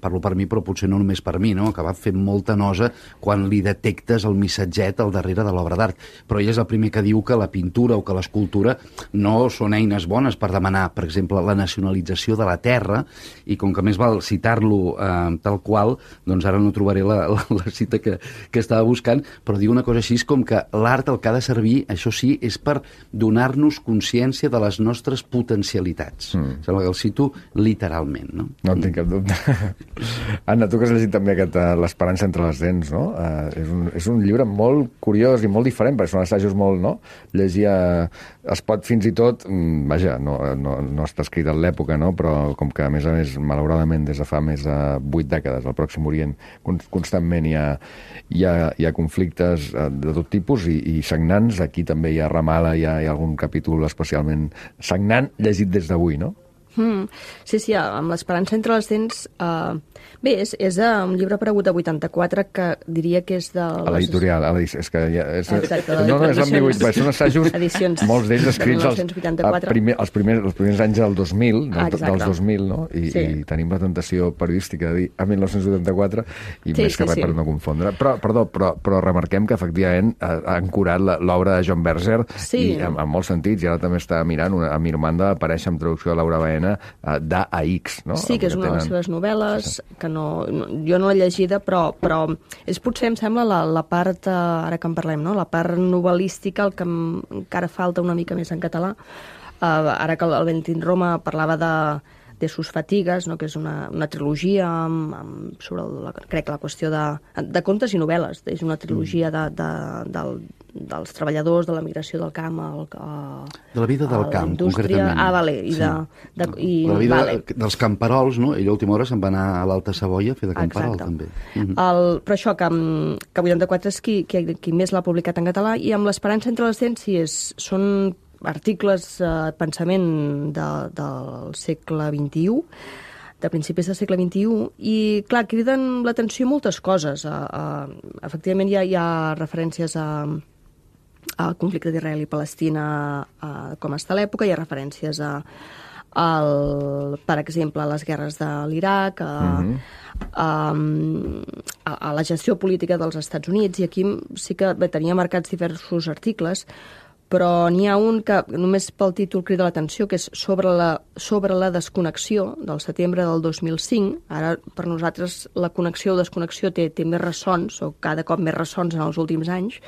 parlo per mi, però potser no només per mi, no? Acabar fent molta nosa quan li detectes el missatget al darrere de l'obra d'art. Però ell és el primer que diu que la pintura o que l'escultura no són eines bones per demanar, per exemple, la nacionalització de la terra, i com que més val citar-lo tal qual, doncs ara no trobaré la cita que estava buscant, però diu una cosa així com que l'art el que ha de servir, això sí, és per donar-nos consciència de les nostres potencialitats. Sembla que el cito literalment, no? No en tinc cap dubte. Anna, tu que has llegit també aquest L'esperança entre les dents, no? És un llibre molt curiós i molt diferent, perquè són assajos molt, no? Llegir es pot fins i tot, vaja, no està escrit en l'època, no? Però com que a més, malauradament, des de fa més de 8 dècades al Pròxim Orient constantment hi ha conflictes de tot tipus i sagnants. Aquí també hi ha Ramala, hi ha algun capítol especialment sagnant llegit des d'avui, no? Sí, amb l'Esperança entre les dents... Bé, és un llibre aparegut a 84 que diria que és de... A l'editorial, és que és... Exacte, no, és l'ambigüitat, són assajos, edicions, molts d'ells escrits els primers anys del 2000, dels 2000, no? I tenim la tentació periodística de dir a 1984 i més que res per no confondre. Però remarquem que efectivament han curat l'obra de John Berger en molts sentits, i ara també està mirant a Mirmanda apareix amb traducció de Laura Baena mena d'A a X, no? Sí, que és una de les seves novel·les, que jo no l'he llegida, però és potser, em sembla, la part, ara que en parlem, no? La part novel·lística, el que encara falta una mica més en català. Ara que el Valentín Roma parlava de sus fatigues, no? Que és una trilogia sobre, crec, la qüestió de contes i novel·les. És una trilogia dels treballadors, de la migració del camp, de la vida del camp, concretament. Vale. De la vida dels camperols, no? Ell a última hora se'n va anar a l'Alta Savoia a fer de camperol, també. Però això, que 84 és qui més l'ha publicat en català, i amb l'Esperança entre les dents són articles, pensament del segle XXI, de principis del segle XXI, i, clar, criden l'atenció moltes coses. Efectivament, hi ha referències al conflicte d'Israel i Palestina, com està a l'època, hi ha referències per exemple, a les guerres de l'Iraq, a la gestió política dels Estats Units, i aquí sí que tenia marcats diversos articles, però n'hi ha un que només pel títol crida l'atenció, que és sobre la desconnexió del setembre del 2005. Ara, per nosaltres, la connexió o desconnexió té més ressons, o cada cop més ressons en els últims anys,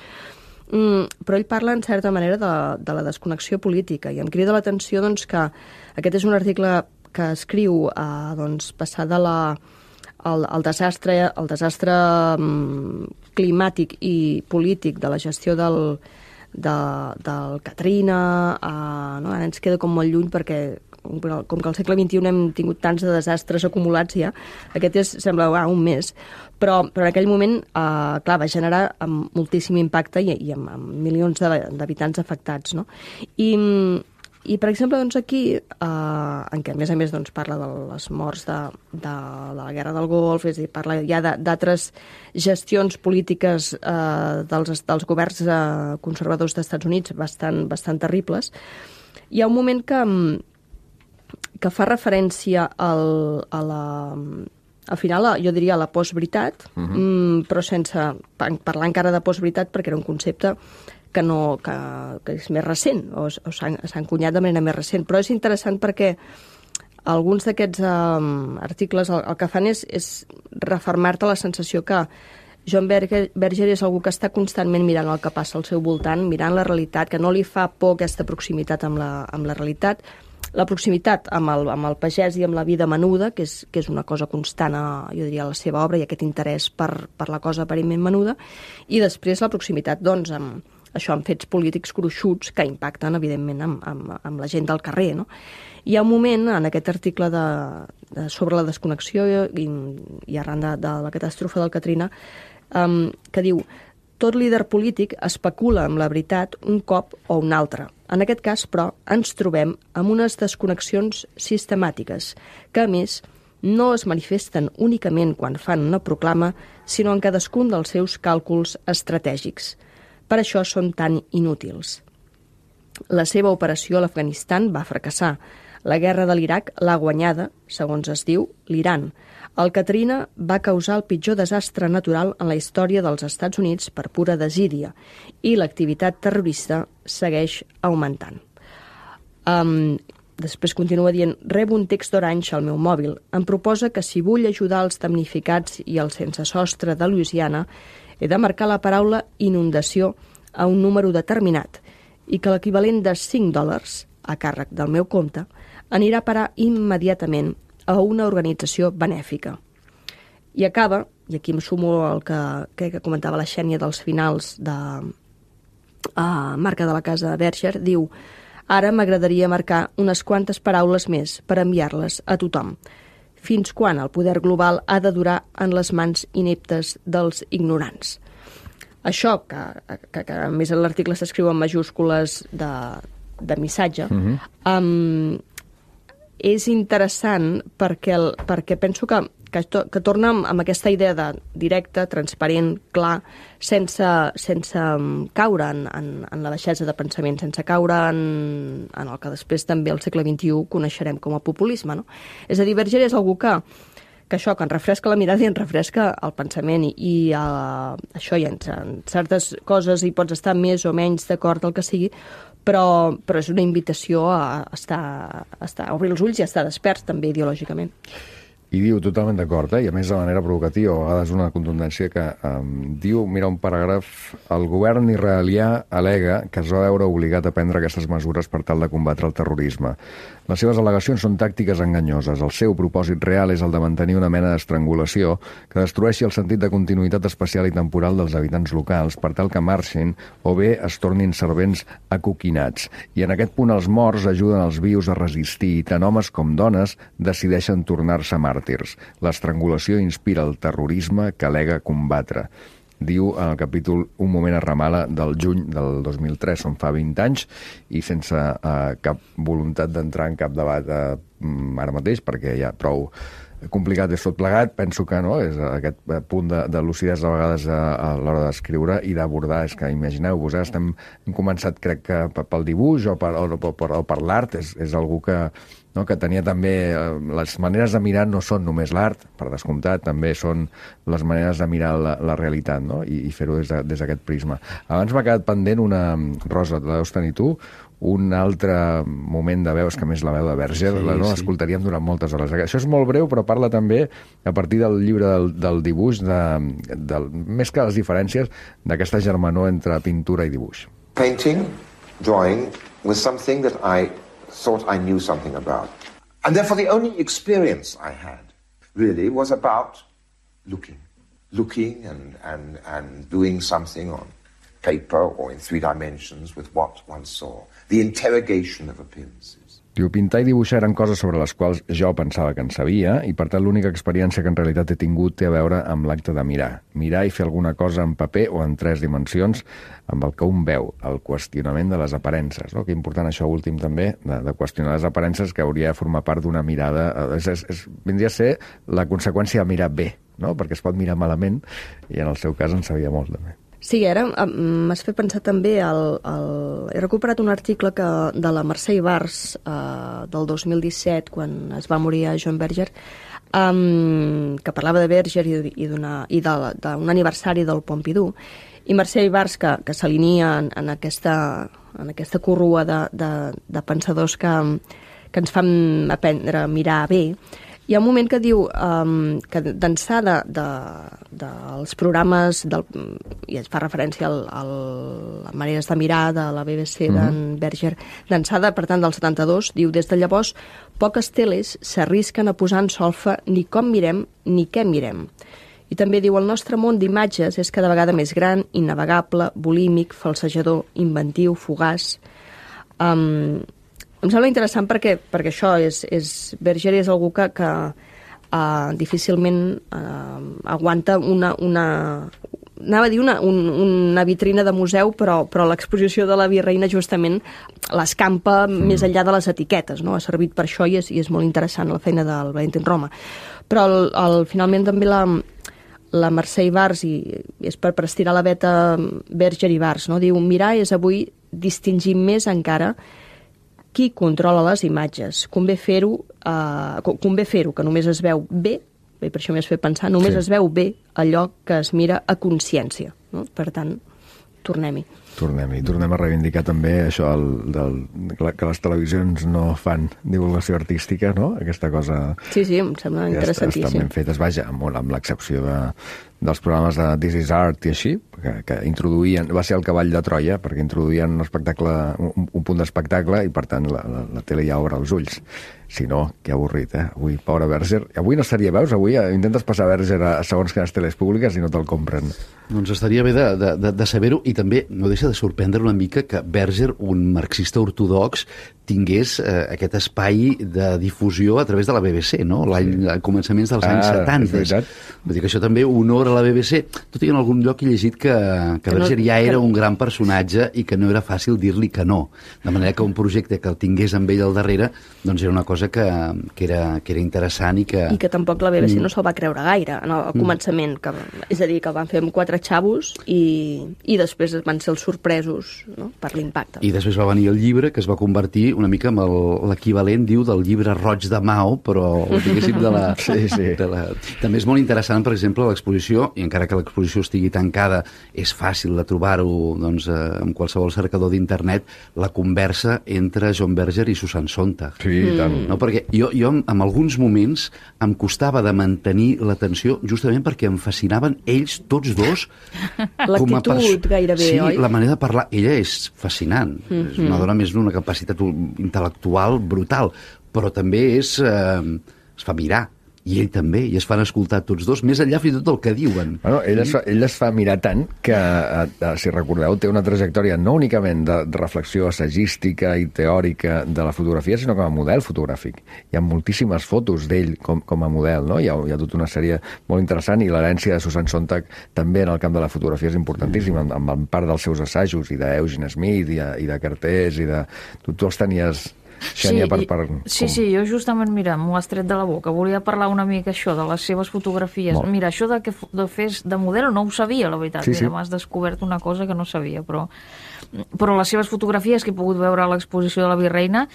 però ell parla, en certa manera, de la desconnexió política, i em crida l'atenció doncs, que aquest és un article que escriu passat el desastre climàtic i polític de la gestió del Katrina, no? Ara ens queda com molt lluny perquè com que al segle XXI hem tingut tants de desastres acumulats ja, aquest sembla un mes, però en aquell moment clar, va generar moltíssim impacte i amb milions d'habitants afectats, no? I per exemple, doncs aquí, en què a més doncs, parla de les morts de la Guerra del Golf, és a dir, parla ja d'altres gestions polítiques dels governs conservadors dels Estats Units bastant terribles. Hi ha un moment que fa referència al final, jo diria, a la postveritat, però sense parlar encara de postveritat, perquè era un concepte que és més recent, o s'ha encunyat de manera més recent. Però és interessant perquè alguns d'aquests articles el que fan és refermar-te la sensació que John Berger és algú que està constantment mirant el que passa al seu voltant, mirant la realitat, que no li fa por aquesta proximitat amb la realitat, la proximitat amb el pagès i amb la vida menuda, que és una cosa constant, jo diria, a la seva obra, i aquest interès per la cosa aparentment menuda, i després la proximitat, doncs, amb fets polítics gruixuts que impacten, evidentment, amb la gent del carrer, no? Hi ha un moment, en aquest article sobre la desconnexió i arran de la catàstrofe del Katrina, que diu: tot líder polític especula amb la veritat un cop o un altre. En aquest cas, però, ens trobem amb unes desconnexions sistemàtiques, que, a més, no es manifesten únicament quan fan una proclama, sinó en cadascun dels seus càlculs estratègics. Per això són tan inútils. La seva operació a l'Afganistan va fracassar. La guerra de l'Iraq l'ha guanyada, segons es diu, l'Iran. El Katrina va causar el pitjor desastre natural en la història dels Estats Units per pura desídia, i l'activitat terrorista segueix augmentant. Després continua dient: rebo un text d'Orange al meu mòbil. Em proposa que si vull ajudar els damnificats i els sense sostre de Louisiana, he de marcar la paraula inundació a un número determinat i que l'equivalent de $5 a càrrec del meu compte anirà a parar immediatament a una organització benèfica. I acaba, i aquí em sumo al que crec que comentava la Xènia dels finals de Marca de la Casa Berger, diu: ara m'agradaria marcar unes quantes paraules més per enviar-les a tothom. Fins quan el poder global ha de durar en les mans ineptes dels ignorants? Això, que a més l'article s'escriu en majúscules de missatge, és interessant perquè penso que torna amb aquesta idea de directe, transparent, clar, sense caure en la baixesa de pensament, sense caure en el que després també al segle XXI coneixerem com a populisme, no? És a dir, Berger és algú que això, que ens refresca la mirada i ens refresca el pensament i això, i en certes coses hi pots estar més o menys d'acord el que sigui, però és una invitació a obrir els ulls i a estar desperts també ideològicament. I diu, totalment d'acord, i a més de manera provocativa, a vegades una contundència que diu, mira un paràgraf, el govern israelià al·lega que es va veure obligat a prendre aquestes mesures per tal de combatre el terrorisme. Les seves al·legacions són tàctiques enganyoses. El seu propòsit real és el de mantenir una mena d'estrangulació que destrueixi el sentit de continuïtat espacial i temporal dels habitants locals per tal que marxin o bé es tornin servents acoquinats. I en aquest punt els morts ajuden els vius a resistir i tant homes com dones decideixen tornar-se màrtirs. L'estrangulació inspira el terrorisme que al·lega combatre. Diu en el capítol Un moment a Ramala del juny del 2003, on fa 20 anys, i sense cap voluntat d'entrar en cap debat ara mateix, perquè hi ha prou complicat és tot plegat, penso que no, és aquest punt de lucidesa a vegades a l'hora d'escriure i d'abordar, és que imagineu-vos, hem començat crec que pel dibuix o per l'art, és algú que tenia també... Les maneres de mirar no són només l'art, per descomptat, també són les maneres de mirar la realitat, no? I fer-ho des d'aquest prisma. Abans m'ha quedat pendent una... Rosa, la deus tenir tu, un altre moment de veus, que més la veu de Berger, l'escoltaríem durant moltes hores. Això és molt breu, però parla també, a partir del llibre del dibuix, més que les diferències, d'aquesta germanor entre pintura i dibuix. Painting, drawing, was something that I thought I knew something about. And therefore the only experience I had really was about looking and doing something on paper or in 3 dimensions with what one saw. The interrogation of appearances. Diu, pintar i dibuixar eren coses sobre les quals jo pensava que en sabia i, per tant, l'única experiència que en realitat he tingut té a veure amb l'acte de mirar. Mirar i fer alguna cosa en paper o en 3 dimensions amb el que un veu, el qüestionament de les aparences. No? Que important això últim també, de qüestionar les aparences, que hauria de formar part d'una mirada... Vindria a ser la conseqüència de mirar bé, no? Perquè es pot mirar malament i en el seu cas en sabia molt també. Sí, ara m'has fet pensar també he recuperat un article de la Mercè Ibars del 2017, quan es va morir a John Berger, que parlava de Berger i d'un aniversari del Pompidou, i Mercè Ibars, que s'alinia en aquesta corrua de pensadors que ens fan aprendre a mirar bé. Hi ha un moment que diu que d'ençà dels programes, i es fa referència a les maneres de mirar de la BBC d'en Berger, d'ençà, per tant, del 72, diu, des de llavors, poques teles s'arrisquen a posar en solfa ni com mirem ni què mirem. I també diu, el nostre món d'imatges és cada vegada més gran, innavegable, bulímic, falsejador, inventiu, fugaç. Em sembla interessant perquè això Berger és algú que difícilment aguanta anava a dir una vitrina de museu, però l'exposició de la Virreina justament l'escampa més enllà de les etiquetes, no? Ha servit per això i és molt interessant la feina del Valentín Roma. Però finalment també la Mercè Ibars, i és per estirar la veta Berger i Ibars, no? Diu, mirar és avui distingir més encara qui controla les imatges. Convé fer-ho, que només es veu bé, i per això m'has fet pensar, només es veu bé allò que es mira a consciència. No? Per tant, tornem-hi. Tornem a reivindicar també això que les televisions no fan divulgació artística, no? Aquesta cosa... Sí, em sembla interessantíssim. Estan ben fetes, vaja, amb l'excepció dels programes de This is Art i així, que introduïen... Va ser el cavall de Troia, perquè introduïen un punt d'espectacle i, per tant, la tele ja obre els ulls. Si no, que avorrit, Avui, pobre Berger. Avui no estaria, veus? Avui intentes passar Berger a segons quines teles públiques i no te'l compren. Doncs estaria bé de saber-ho, i també no deixa de sorprendre una mica que Berger, un marxista ortodox, tingués aquest espai de difusió a través de la BBC, no? A començaments dels anys 70. És veritat. Vull dir que això també honora sobre la BBC, tot i que en algun lloc he llegit que Berger ja era un gran personatge i que no era fàcil dir-li que no. De manera que un projecte que el tingués amb ell al darrere doncs era una cosa que era interessant i que tampoc la BBC no se'l va creure gaire al començament, és a dir, que el van fer amb 4 xavos i després van ser els sorpresos, no?, per l'impacte. I després va venir el llibre, que es va convertir una mica en l'equivalent, diu, del llibre roig de Mao, però diguéssim de la... Sí. També és molt interessant, per exemple, l'exposició, i encara que l'exposició estigui tancada, és fàcil de trobar-ho doncs, en qualsevol cercador d'internet, la conversa entre John Berger i Susan Sontag. Sí, tant. No? Perquè jo en alguns moments em costava de mantenir l'atenció justament perquè em fascinaven ells tots dos. L'actitud gairebé, sí, oi? La manera de parlar. Ella és fascinant. És una dona més d'una capacitat intel·lectual brutal, però també es fa mirar. I ell també, i es fan escoltar tots dos, més enllà fins i tot el que diuen. Bueno, ell es fa mirar tant que, si recordeu, té una trajectòria no únicament de reflexió assagística i teòrica de la fotografia, sinó com a model fotogràfic. Hi ha moltíssimes fotos d'ell com a model, no? Hi ha tota una sèrie molt interessant, i l'herència de Susan Sontag també en el camp de la fotografia és importantíssima, amb part dels seus assajos, i d'Eugene Smith, i de Cartés, i de... Tu els tenies... Xènia, sí, jo justament, mira, m'ho has tret de la boca. Volia parlar una mica això, de les seves fotografies. Mira, això de fer de model no ho sabia, la veritat. Mira, m'has descobert una cosa que no sabia, però les seves fotografies que he pogut veure a l'exposició de la Virreina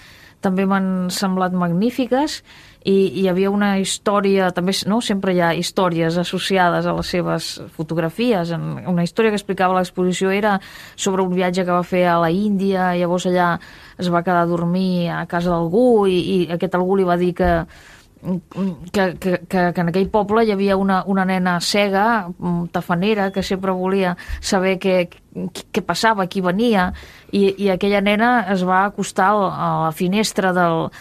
també m'han semblat magnífiques, i hi havia una història, també, no? Sempre hi ha històries associades a les seves fotografies. Una història que explicava l'exposició era sobre un viatge que va fer a la Índia, i llavors allà es va quedar a dormir a casa d'algú, i aquest algú li va dir que en aquell poble hi havia una nena cega, tafanera, que sempre volia saber què passava, qui venia, i aquella nena es va acostar a la finestra del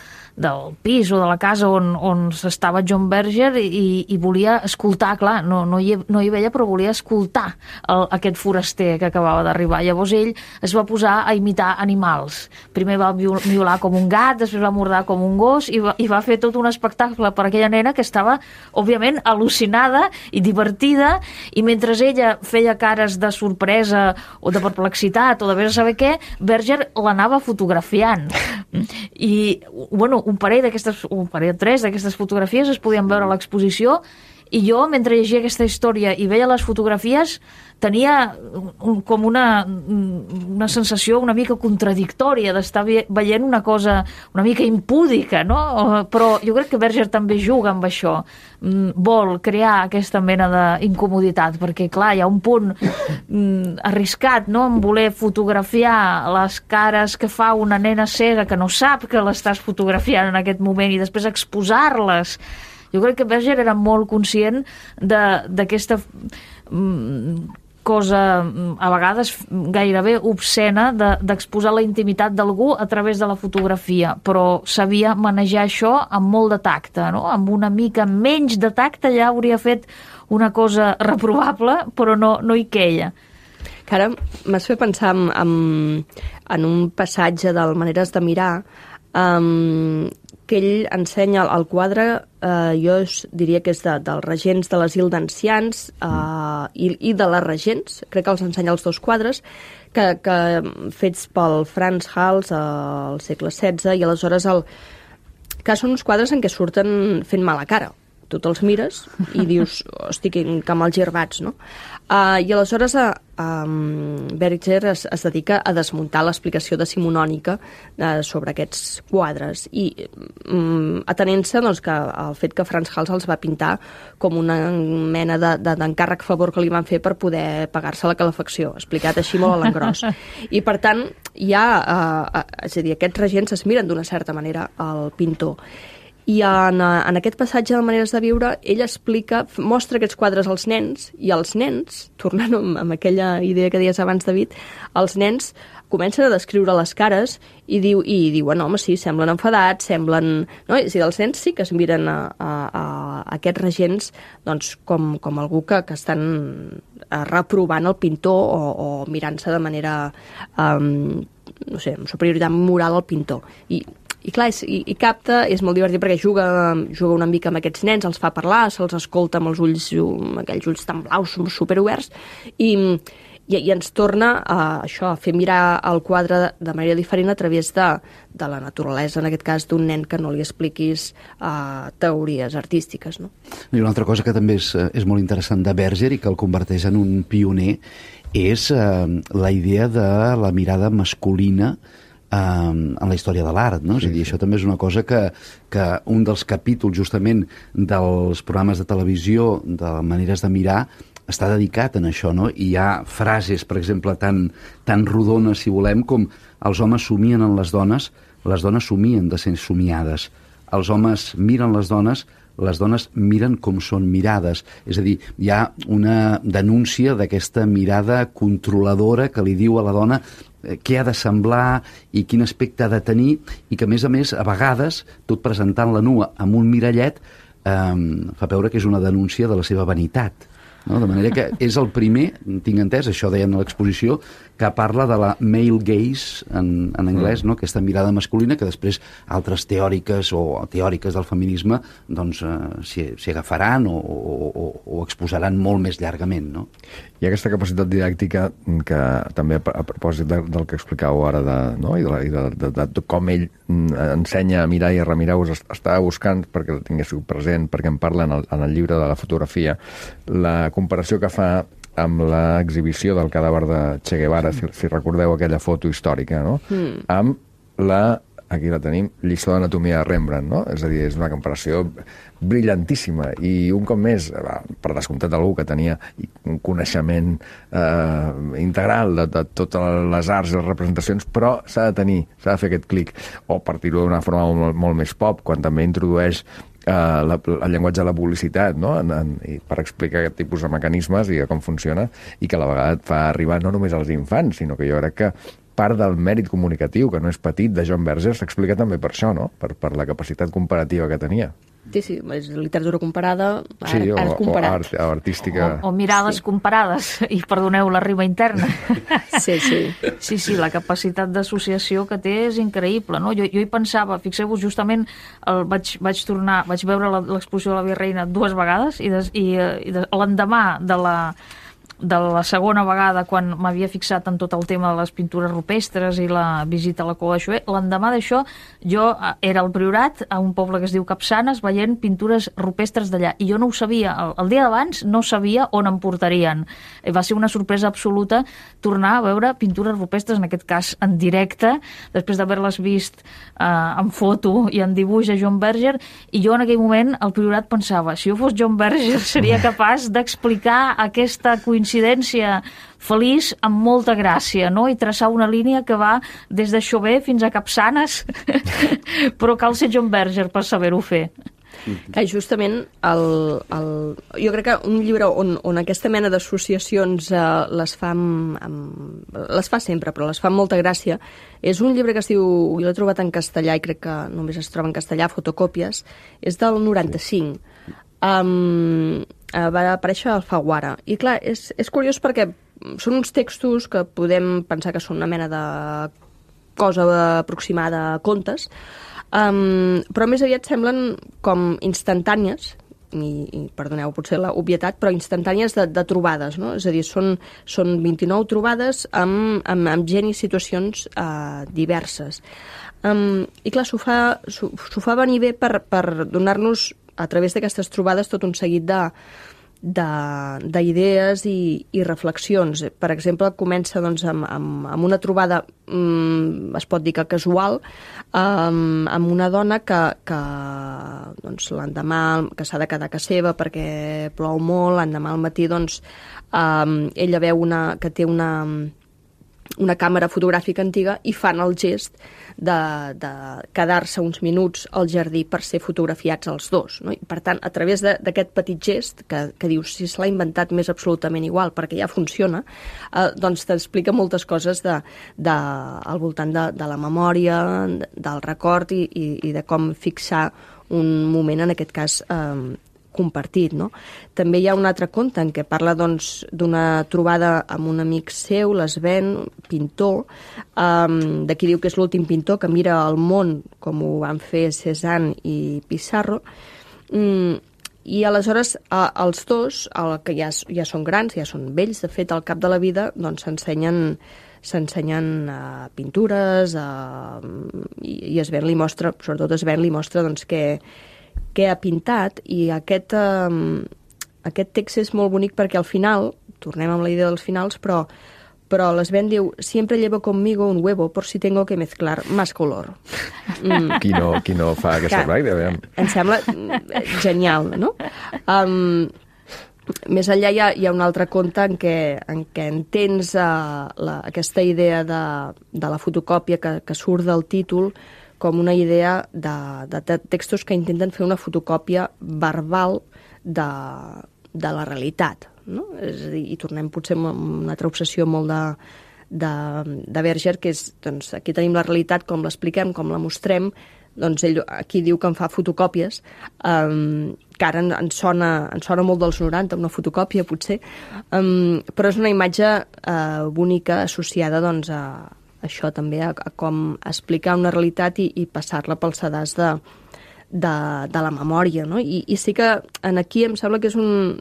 pis o de la casa on estava John Berger, i volia escoltar, clar, no hi veia, però volia escoltar aquest foraster que acabava d'arribar. Llavors ell es va posar a imitar animals. Primer va miolar com un gat, després va mordar com un gos, i va fer tot un espectacle per aquella nena que estava, òbviament, al·lucinada i divertida, i mentre ella feia cares de sorpresa o de perplexitat o de vés a saber què, Berger l'anava fotografiant. I, bueno, un parell, 3 d'aquestes fotografies es podien veure a l'exposició, i jo, mentre llegia aquesta història i veia les fotografies, tenia com una sensació una mica contradictòria d'estar veient una cosa una mica impúdica, no? Però jo crec que Berger també juga amb això. Vol crear aquesta mena d'incomoditat, perquè, clar, hi ha un punt arriscat, no?, en voler fotografiar les cares que fa una nena cega que no sap que l'estàs fotografiant en aquest moment, i després exposar-les. Jo crec que Berger era molt conscient d'aquesta cosa, a vegades gairebé obscena, d'exposar la intimitat d'algú a través de la fotografia, però sabia manejar això amb molt de tacte, no? Amb una mica menys de tacte ja hauria fet una cosa reprovable, però no hi queia. Que ara m'has fet pensar en un passatge del Maneres de mirar, que ell ensenya el quadre, jo diria que és dels regents de l'asil d'ancians i de les regents, crec que els ensenya els dos quadres, que fets pel Frans Hals al segle XVI, i aleshores que són uns quadres en què surten fent mala cara. Tu te'ls mires i dius, hosti, que mal girbats, no? I aleshores Berger es dedica a desmuntar l'explicació decimonònica sobre aquests quadres, i atenent-se, doncs, que el fet que Frans Hals els va pintar com una mena d'encàrrec favor que li van fer per poder pagar-se la calefacció, explicat així molt a l'engròs. I per tant, és a dir, aquests regents es miren d'una certa manera al pintor. I en aquest passatge de Maneres de viure, ell mostra aquests quadres als nens, i els nens, tornant amb aquella idea que deies abans, David, els nens comencen a descriure les cares i diuen, home, sí, semblen enfadats, semblen... No? És a dir, els nens sí que es miren a aquests regents, doncs, com algú que estan reprovant el pintor o mirant-se de manera, no sé, amb superioritat moral al pintor. I I clar, i capta, és molt divertit perquè juga una mica amb aquests nens, els fa parlar, se'ls escolta amb els ulls, aquells ulls tan blaus, superoberts, i ens torna a fer mirar el quadre de manera diferent a través de la naturalesa, en aquest cas d'un nen que no li expliquis teories artístiques. No? I una altra cosa que també és molt interessant de Berger i que el converteix en un pioner és la idea de la mirada masculina en la història de l'art, no? És a dir, això també és una cosa que un dels capítols justament dels programes de televisió, de maneres de mirar, està dedicat en això, no? I hi ha frases, per exemple, tan rodones, si volem, com els homes somien en les dones somien de ser somiades. Els homes miren les dones miren com són mirades. És a dir, hi ha una denúncia d'aquesta mirada controladora que li diu a la dona què ha de semblar i quin aspecte ha de tenir, i que, a més, a vegades, tot presentant-la nua amb un mirallet, fa veure que és una denúncia de la seva vanitat. No? De manera que és el primer, tinc entès, això deien a l'exposició, que parla de la male gaze en anglès, no? Aquesta mirada masculina que després altres teòriques o teòriques del feminisme doncs s'hi agafaran o exposaran molt més llargament. No? Hi ha aquesta capacitat didàctica que també a propòsit del que explicàveu ara de com ell ensenya a mirar i a remirar, us estava buscant perquè el tinguéssiu present, perquè en parla en el llibre de la fotografia, la comparació que fa amb l'exhibició del cadàver de Che Guevara, si recordeu aquella foto històrica, no? Amb aquí la tenim, lliçó d'anatomia de Rembrandt, no? És a dir, és una comparació brillantíssima, i un cop més, per descomptat algú que tenia un coneixement integral de totes les arts i les representacions, però s'ha de fer aquest clic, o partir-ho d'una forma molt més pop, quan també introdueix el llenguatge de la publicitat, no? Per explicar aquest tipus de mecanismes i com funciona, i que a la vegada et fa arribar no només als infants, sinó que jo crec que part del mèrit comunicatiu, que no és petit, de John Berger s'explica també per això, no? Per la capacitat comparativa que tenia. Sí, és literatura comparada, art comparat. O artística. O mirades comparades, i perdoneu la rima interna. Sí. Sí, la capacitat d'associació que té és increïble, no? Jo hi pensava, fixeu-vos, justament vaig veure l'exposició de la Virreina 2 vegades, i l'endemà de la segona vegada, quan m'havia fixat en tot el tema de les pintures rupestres i la visita a la Cova de Xover, l'endemà d'això jo era al Priorat, a un poble que es diu Capçanes, veient pintures rupestres d'allà, i jo no ho sabia, el dia d'abans no sabia on em portarien. Va ser una sorpresa absoluta tornar a veure pintures rupestres, en aquest cas en directe, després d'haver-les vist en foto i en dibuix a John Berger, i jo en aquell moment al Priorat pensava, si jo fos John Berger seria capaç d'explicar aquesta coincidència feliç amb molta gràcia, no? I traçar una línia que va des de Xover fins a Capçanes, però cal ser John Berger per saber-ho fer. Justament, jo crec que un llibre on aquesta mena d'associacions les fa sempre, però les fa amb molta gràcia, és un llibre que es diu, jo l'he trobat en castellà i crec que només es troba en castellà, Fotocòpies, és del 95. Va aparèixer al Alfaguara. I clar, és curiós perquè són uns textos que podem pensar que són una mena de cosa aproximada a contes, però més aviat semblen com instantànies, i perdoneu potser la obvietat, però instantànies de trobades, no? És a dir, són 29 trobades amb gent i situacions diverses. I clar, s'ho fa venir bé per donar-nos a través d'aquestes trobades tot un seguit d'idees i reflexions. Per exemple, comença doncs, amb una trobada, es pot dir que casual, amb una dona que doncs, l'endemà que s'ha de quedar a casa seva perquè plou molt, l'endemà al matí doncs, ella veu que té una càmera fotogràfica antiga i fan el gest de quedar-se uns minuts al jardí per ser fotografiats els dos, no? I per tant, a través d'aquest petit gest que dius, si se l'ha inventat m'és absolutament igual perquè ja funciona, doncs t'explica moltes coses al voltant de la memòria, del record i de com fixar un moment, en aquest cas compartit, no? També hi ha un altre conte en què parla doncs, d'una trobada amb un amic seu, l'Sven, pintor, de qui diu que és l'últim pintor que mira el món com ho van fer Cézanne i Pissarro, i aleshores els dos, que ja són grans, ja són vells, de fet, al cap de la vida doncs, s'ensenyen pintures i Sven li mostra, sobretot Sven li mostra doncs, què ha pintat, i aquest text és molt bonic perquè al final, tornem amb la idea dels finals, però l'Sven diu, sempre llevo conmigo un huevo por si tengo que mezclar más color. Qui no fa aquesta pràctica? Em sembla genial, no? Més enllà hi ha un altre conte en què entens aquesta idea de la fotocòpia que surt del títol com una idea de textos que intenten fer una fotocòpia verbal de la realitat, no? És a dir, i tornem potser amb una altra obsessió molt de Berger, que és, doncs, aquí tenim la realitat, com l'expliquem, com la mostrem, doncs ell aquí diu que en fa fotocòpies, que ara ens sona molt dels 90, una fotocòpia potser, però és una imatge bonica associada doncs, a això també, a com explicar una realitat i passar-la pel sedàs de la memòria, no? I sí que aquí em sembla que és un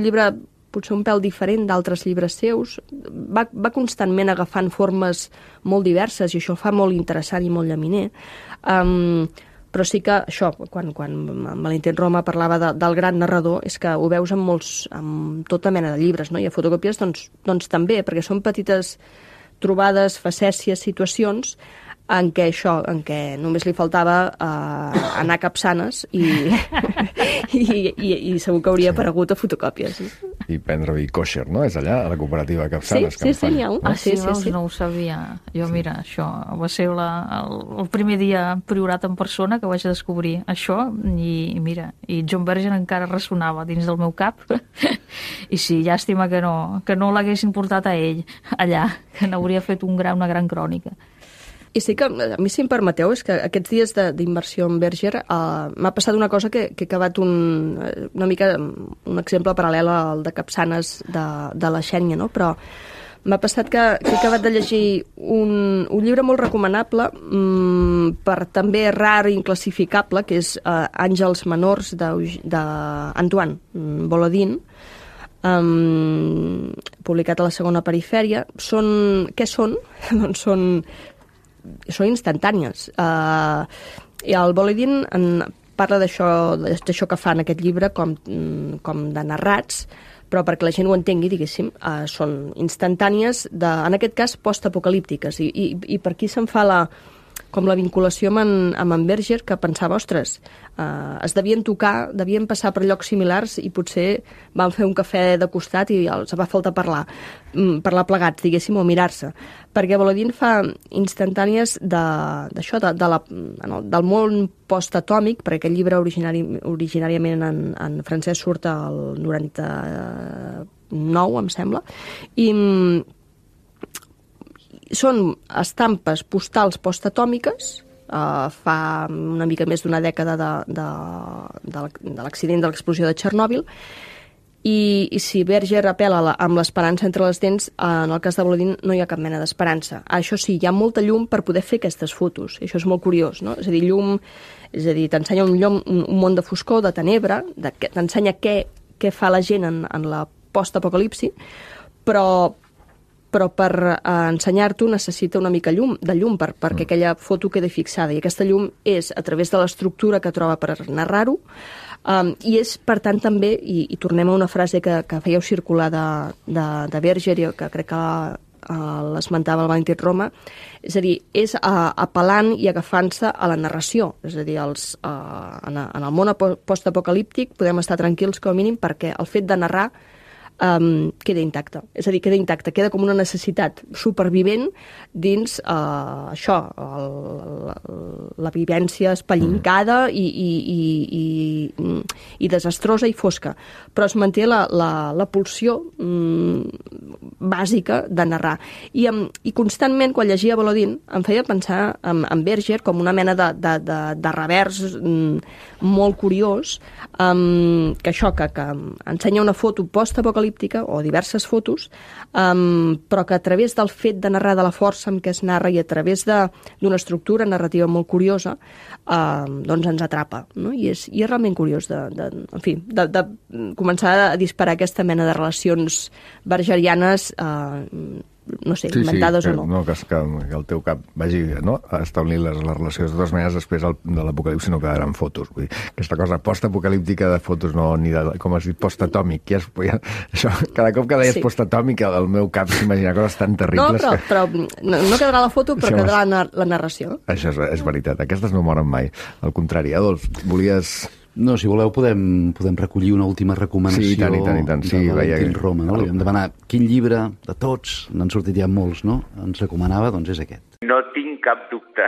llibre potser un pèl diferent d'altres llibres seus, va constantment agafant formes molt diverses i això fa molt interessant i molt llaminer, però sí que això, quan Valentín Roma parlava del gran narrador, és que ho veus amb tota mena de llibres, no? I a fotocòpies doncs també, perquè són petites trobades, facècies, situacions en què només li faltava anar a Capçanes i segur que hauria aparegut a fotocòpies. I prendre vi kosher, no? És allà, a la cooperativa de Capçanes. Sí, n'hi ha un. Sí, no ho sabia. Jo, mira, això va ser el primer dia priorat en persona que vaig descobrir això i mira, i John Berger encara ressonava dins del meu cap i sí, llàstima que no l'haguessin portat a ell allà, que n'hauria fet una gran crònica. I sí que, a mi si em permeteu, és que aquests dies d'immersió en Berger m'ha passat una cosa que he acabat una mica un exemple paral·lel al de Capçanes de la Xènia, no? Però m'ha passat que he acabat de llegir un llibre molt recomanable, per també rar i inclassificable, que és Àngels menors d'Antoine Volodin, publicat a la Segona Perifèria. Què són? Doncs són instantànies. I el Volodin parla d'això que fa en aquest llibre com de narrats, però perquè la gent ho entengui, diguéssim, són instantànies, en aquest cas postapocalíptiques, i per aquí se'n fa com la vinculació amb en Berger, que pensava, ostres, es devien tocar, devien passar per llocs similars i potser van fer un cafè de costat i els va faltar parlar plegats, diguéssim, o mirar-se. Perquè Volodin fa instantànies d'això, del món postatòmic, perquè aquest llibre originàriament en francès surt el 99, em sembla, i són estampes postals postatòmiques, fa una mica més d'una dècada de l'accident de l'explosió de Txernòbil, i si Berger apel·la amb l'esperança entre les dents, en el cas de Volodin no hi ha cap mena d'esperança. Això sí, hi ha molta llum per poder fer aquestes fotos, i això és molt curiós, no? És a dir, t'ensenya un món de foscor, de tenebra, t'ensenya què fa la gent en la postapocalipsi, però per ensenyar-t'ho necessita una mica de llum perquè aquella foto quedi fixada, i aquesta llum és a través de l'estructura que troba per narrar-ho, i és, per tant, també, i tornem a una frase que fèieu circular de Berger, i que crec que l'esmentava el Valentín Roma, és a dir, és apel·lant i agafant-se a la narració, és a dir, en el món postapocalíptic podem estar tranquils com a mínim perquè el fet de narrar queda intacte. És a dir, queda intacte, queda com una necessitat supervivent dins això, la vivència espellincada i desastrosa i fosca. Però es manté la pulsió bàsica de narrar. I constantment, quan llegia Volodin, em feia pensar en Berger com una mena de revers molt curiós, que això, que ensenya una foto post-apocalíptica, o diverses fotos, però que a través del fet de narrar, de la força amb què es narra i a través d'una estructura narrativa molt curiosa, doncs ens atrapa, no? I és realment curiós de començar a disparar aquesta mena de relacions bergerianes, no sé, inventades o no. No, que el teu cap vagi establint les relacions. De totes maneres, després de l'apocalipsi no quedaran fotos. Vull dir, aquesta cosa post-apocalíptica de fotos, no, ni de, com has dit, post-atòmic. Això, cada cop que deies post-atòmic, el meu cap s'imagina coses tan terribles. No, però no quedarà la foto, però quedarà la narració. Això és veritat. Aquestes no moren mai. Al contrari, Adolf, volies... No, si voleu podem recollir una última recomanació i tant. de Valentín Roma. No? Li vam demanar quin llibre de tots, n'han sortit ja molts, no? Ens recomanava, doncs és aquest. No tinc cap dubte.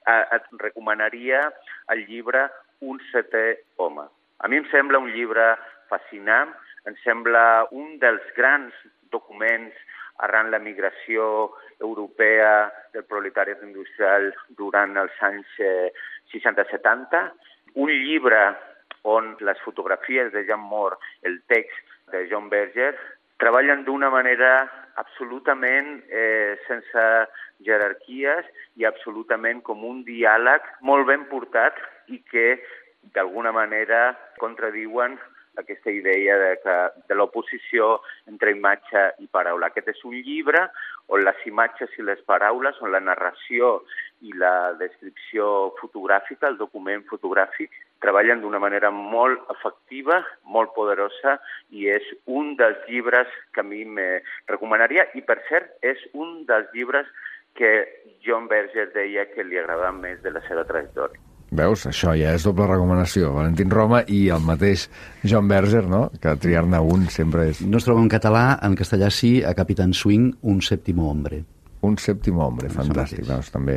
Et recomanaria el llibre Un setè home. A mi em sembla un llibre fascinant, em sembla un dels grans documents arran la migració europea del proletariat industrial durant els anys 60-70, un llibre on les fotografies de Jean Moore, el text de John Berger, treballen d'una manera absolutament sense jerarquies i absolutament com un diàleg molt ben portat i que d'alguna manera contradiuen aquesta idea de l'oposició entre imatge i paraula. Aquest és un llibre on les imatges i les paraules, on la narració i la descripció fotogràfica, el document fotogràfic, treballen d'una manera molt efectiva, molt poderosa, i és un dels llibres que a mi me recomanaria, i per cert, és un dels llibres que John Berger deia que li agradava més de la seva trajectòria. Veus? Això ja és doble recomanació. Valentín Roma i el mateix John Berger, no? Que triar-ne un sempre és... No es troba en català, en castellà sí, a Capitán Swing, Un sèptimo hombre. Un sèptim hombre, fantàstic. Doncs també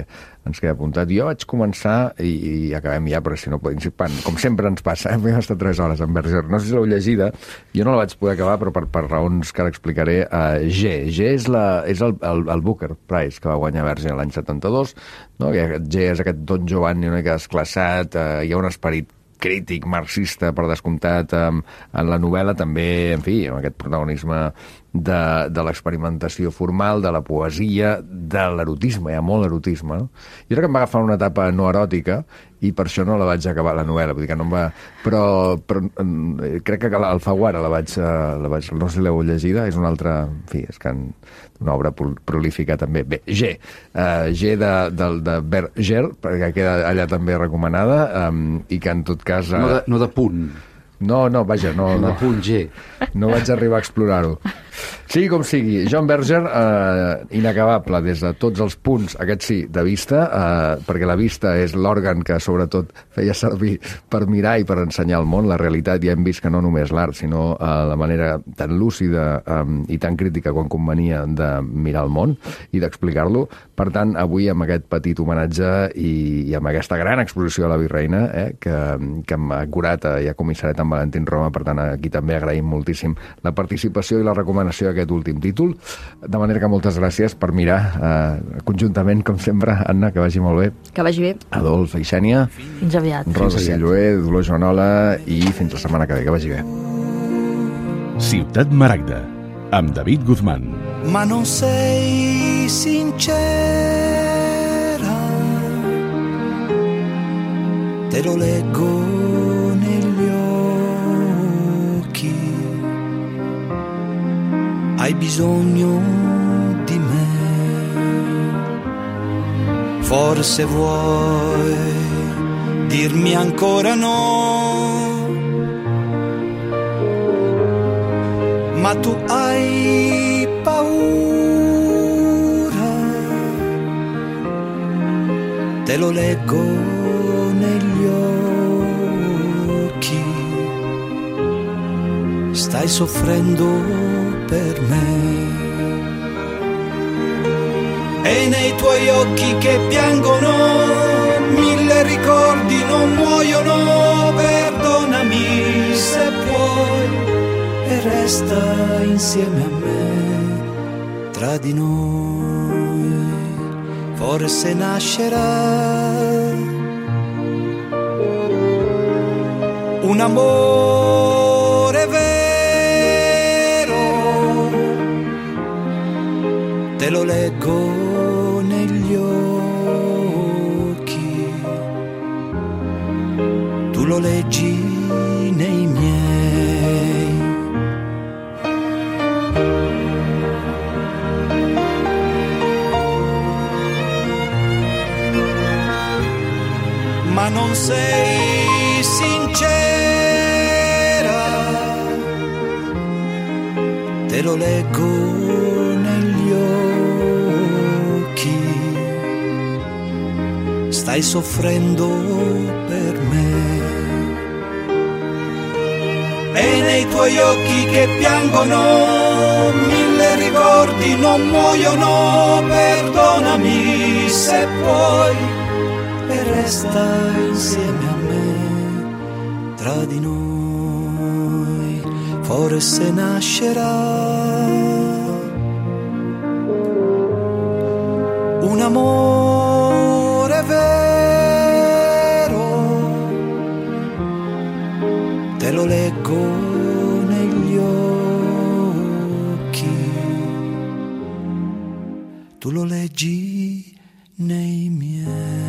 ens queda apuntat. Jo vaig començar, i acabem ja, però si no podem... Com sempre ens passa, hem estat 3 hores amb Berger. No sé si l'heu llegida, jo no la vaig poder acabar, però per raons que ara explicaré. G és el Booker Prize que va guanyar Berger l'any 72. No? G és aquest Don Giovanni una mica desclassat, hi ha un esperit crític, marxista, per descomptat, en la novel·la també, en fi, amb aquest protagonisme de l'experimentació formal, de la poesia, de l'erotisme, hi ha molt erotisme, no? Jo crec que em va agafar una etapa no eròtica i per això no la vaig acabar, la novel·la, vull dir que no em va... Però crec que Alfaguara la vaig... No sé si l'heu llegida, és una altra... En fi, és que una obra prolífica també. Bé, G de Berger, perquè queda allà també recomanada, i que en tot cas... No de punt. No, vaja, no. De punt G. No vaig arribar a explorar-ho. Sigui com sigui, John Berger, inacabable des de tots els punts, aquest sí, de vista, perquè la vista és l'òrgan que sobretot feia servir per mirar i per ensenyar el món, la realitat. Ja hem vist que no només l'art, sinó la manera tan lúcida i tan crítica quan convenia de mirar el món i d'explicar-lo. Per tant, avui amb aquest petit homenatge i amb aquesta gran exposició a la Virreina, que hem curat i ha comissariat amb Valentín Roma, per tant, aquí també agraïm moltíssim la participació i la recomanació d'aquest últim títol. De manera que moltes gràcies per mirar conjuntament, com sempre. Anna, que vagi molt bé. Que vagi bé. Adolf, Xènia. Fins aviat. Rosa Silloé, Dolors Joanola, i fins la setmana que ve. Que vagi bé. Ciutat Maragda, amb David Guzmán. Ma non sei sincera, te lo leggo negli occhi, hai bisogno di me, forse vuoi dirmi ancora no, ma tu hai paura, te lo leggo negli occhi, stai soffrendo per me. E nei tuoi occhi che piangono 1000 ricordi non muoiono, perdonami se puoi e resta insieme a me. Tra di noi forse nascerà un amore vero, te lo leggo negli occhi, tu lo leggi nei miei. Ma non sei sincera, te lo leggo negli occhi, stai soffrendo per me. E nei tuoi occhi che piangono 1000 ricordi non muoiono, perdonami se puoi e resta insieme a me. Tra di noi forse nascerà un amore vero, te lo leggo negli occhi, tu lo leggi nei miei.